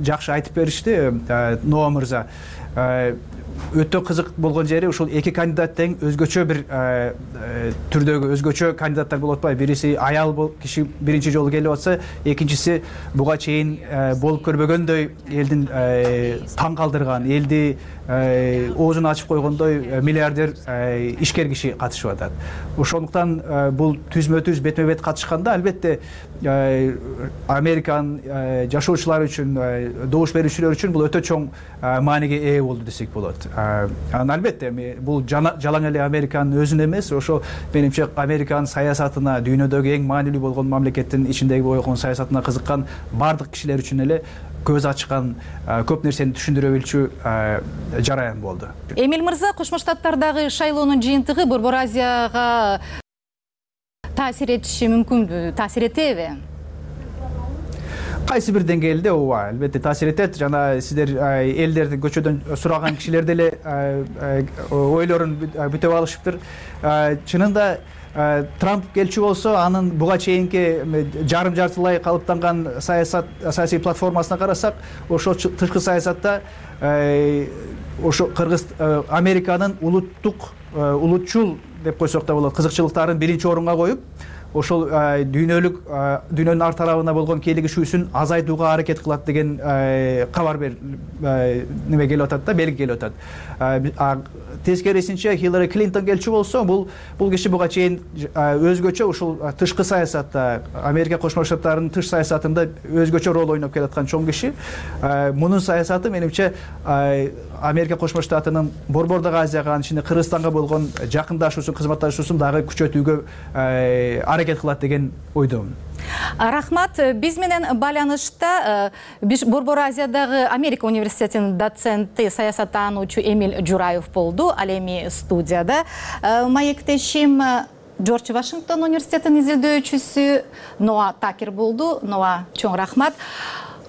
жакшы айтып беришти Ноа мырза. Өтө кызык болгон жери ушул эки кандидат тең өзгөчө бир түрдөгү өзгөчө кандидаттар болуп атпайбы. Бириси аял киши биринчи жолу келип атса, экинчиси буга чейин болуп көрбөгөндөй элдин таң калтырган, элди оозун ачып койгондой миллиардер ишкер киши катышып атат. Ошондуктан бул түзмө-түз бетме-бет катышканда албетте Американын жашоочулары үчүн, добуш берүүчүлөр үчүн бул өтө чоң мааниге ээ болду десек болот. Албетте бул жалаң эле Американын өзүнө эмес, ошо менимче Американын саясатына, дүйнөдөгү эң маанилүү болгон мамлекеттин ичиндеги болгон саясатына кызыккан бардык кишилер үчүн эле көз ачкан, көп нерсени түшүндүрө билчү жараян болду. Эмиль мырза, Кошмо Штаттардагы шайлоонун жыйынтыгы Борбор Азияга таасир этиши мүмкүнбү, таасир этеби? Кайсы бир деңгээлде ооба, албетте таасир этет. Жана сиздер элдерди көчөдөн сураган кишилер деле ойлорун бүтөп алышыптыр. Чынында Трамп келчү болсо, анын буга чейинки жарым-жартылай калыптанган саясий платформасына карасак, ошо тышкы саясатта ошо Американын улутчул деп койсок да болот, кызыкчылыктарын биринчи орунга коюп, ошол дүйнөнүн ар тарабына болгон кийлигишүүсүн азайтууга аракет кылат деген кабар неме келип атат да, белги келип атат. Тескерисинче Хиллари Клинтон келчү болсо, бул киши буга чейин өзгөчө ушул тышкы саясатта, Америка Кошмо Штаттарынын тыш саясатында өзгөчө роль ойноп келаткан чоң киши. Мунун саясаты менимче Америка Кошмо Штатынын Борбордогу Азияга, анын ичинде Кыргызстанга болгон жакындашуусун, кызматташуусун дагы күчөтүүгө аракет аракет кылат деген ойдомун. Рахмат. Биз менен байланышта Борбор Азиядагы Америка университетинин доценти, саясаттануучу Эмиль Жураев болду. Ал эми студияда. Маектешим Джордж Вашингтон университетинин изилдөөчүсү Ноа Такер болду. Ноа, чоң рахмат.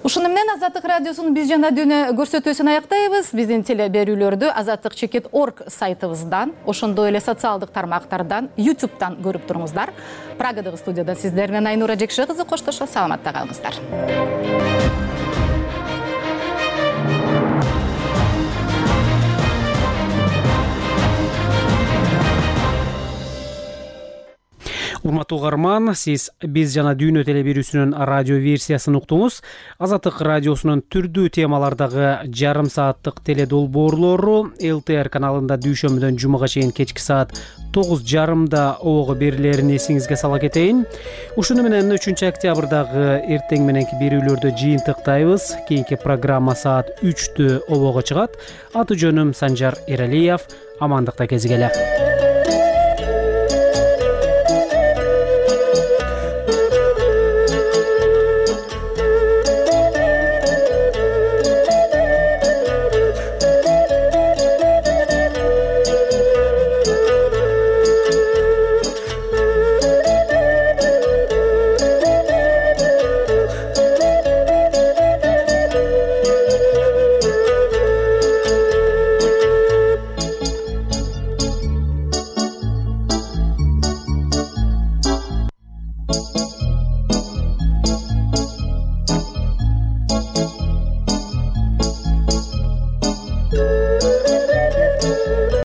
Ушуну менен Азаттык радиосунун биз жана дүйнө көрсөтүүсүн аяктайбыз. Биздин телеберүүлөрдү azattik.org сайтыбыздан, ошондой эле социалдык тармактардан, YouTube'дан көрүп туруңуздар. Прагадагы студияда сиздер менен Айнура Жекши кызы коштошо саламатта калыңыздар. Урматтуу угарман, сиз биз жана дүйнө телеберүүсүнүн радио версиясын уктуңуз. Азаттык радиосунун түрдүү темалардагы жарым сааттык теледолбоорлору ЛТР каналында дүйшөмбүдөн жумага чейин кечки саат 9:30 обого берилерин эсиңизге сала кетейин. Ушуну менен 3 октябрдагы эртең мененки берүүлөрдү жыйынтыктайбыз. Кийинки программа саат 3 обого чыгат. Аты жөнүм Санжар Эралиев. Амандыкта кезигеле.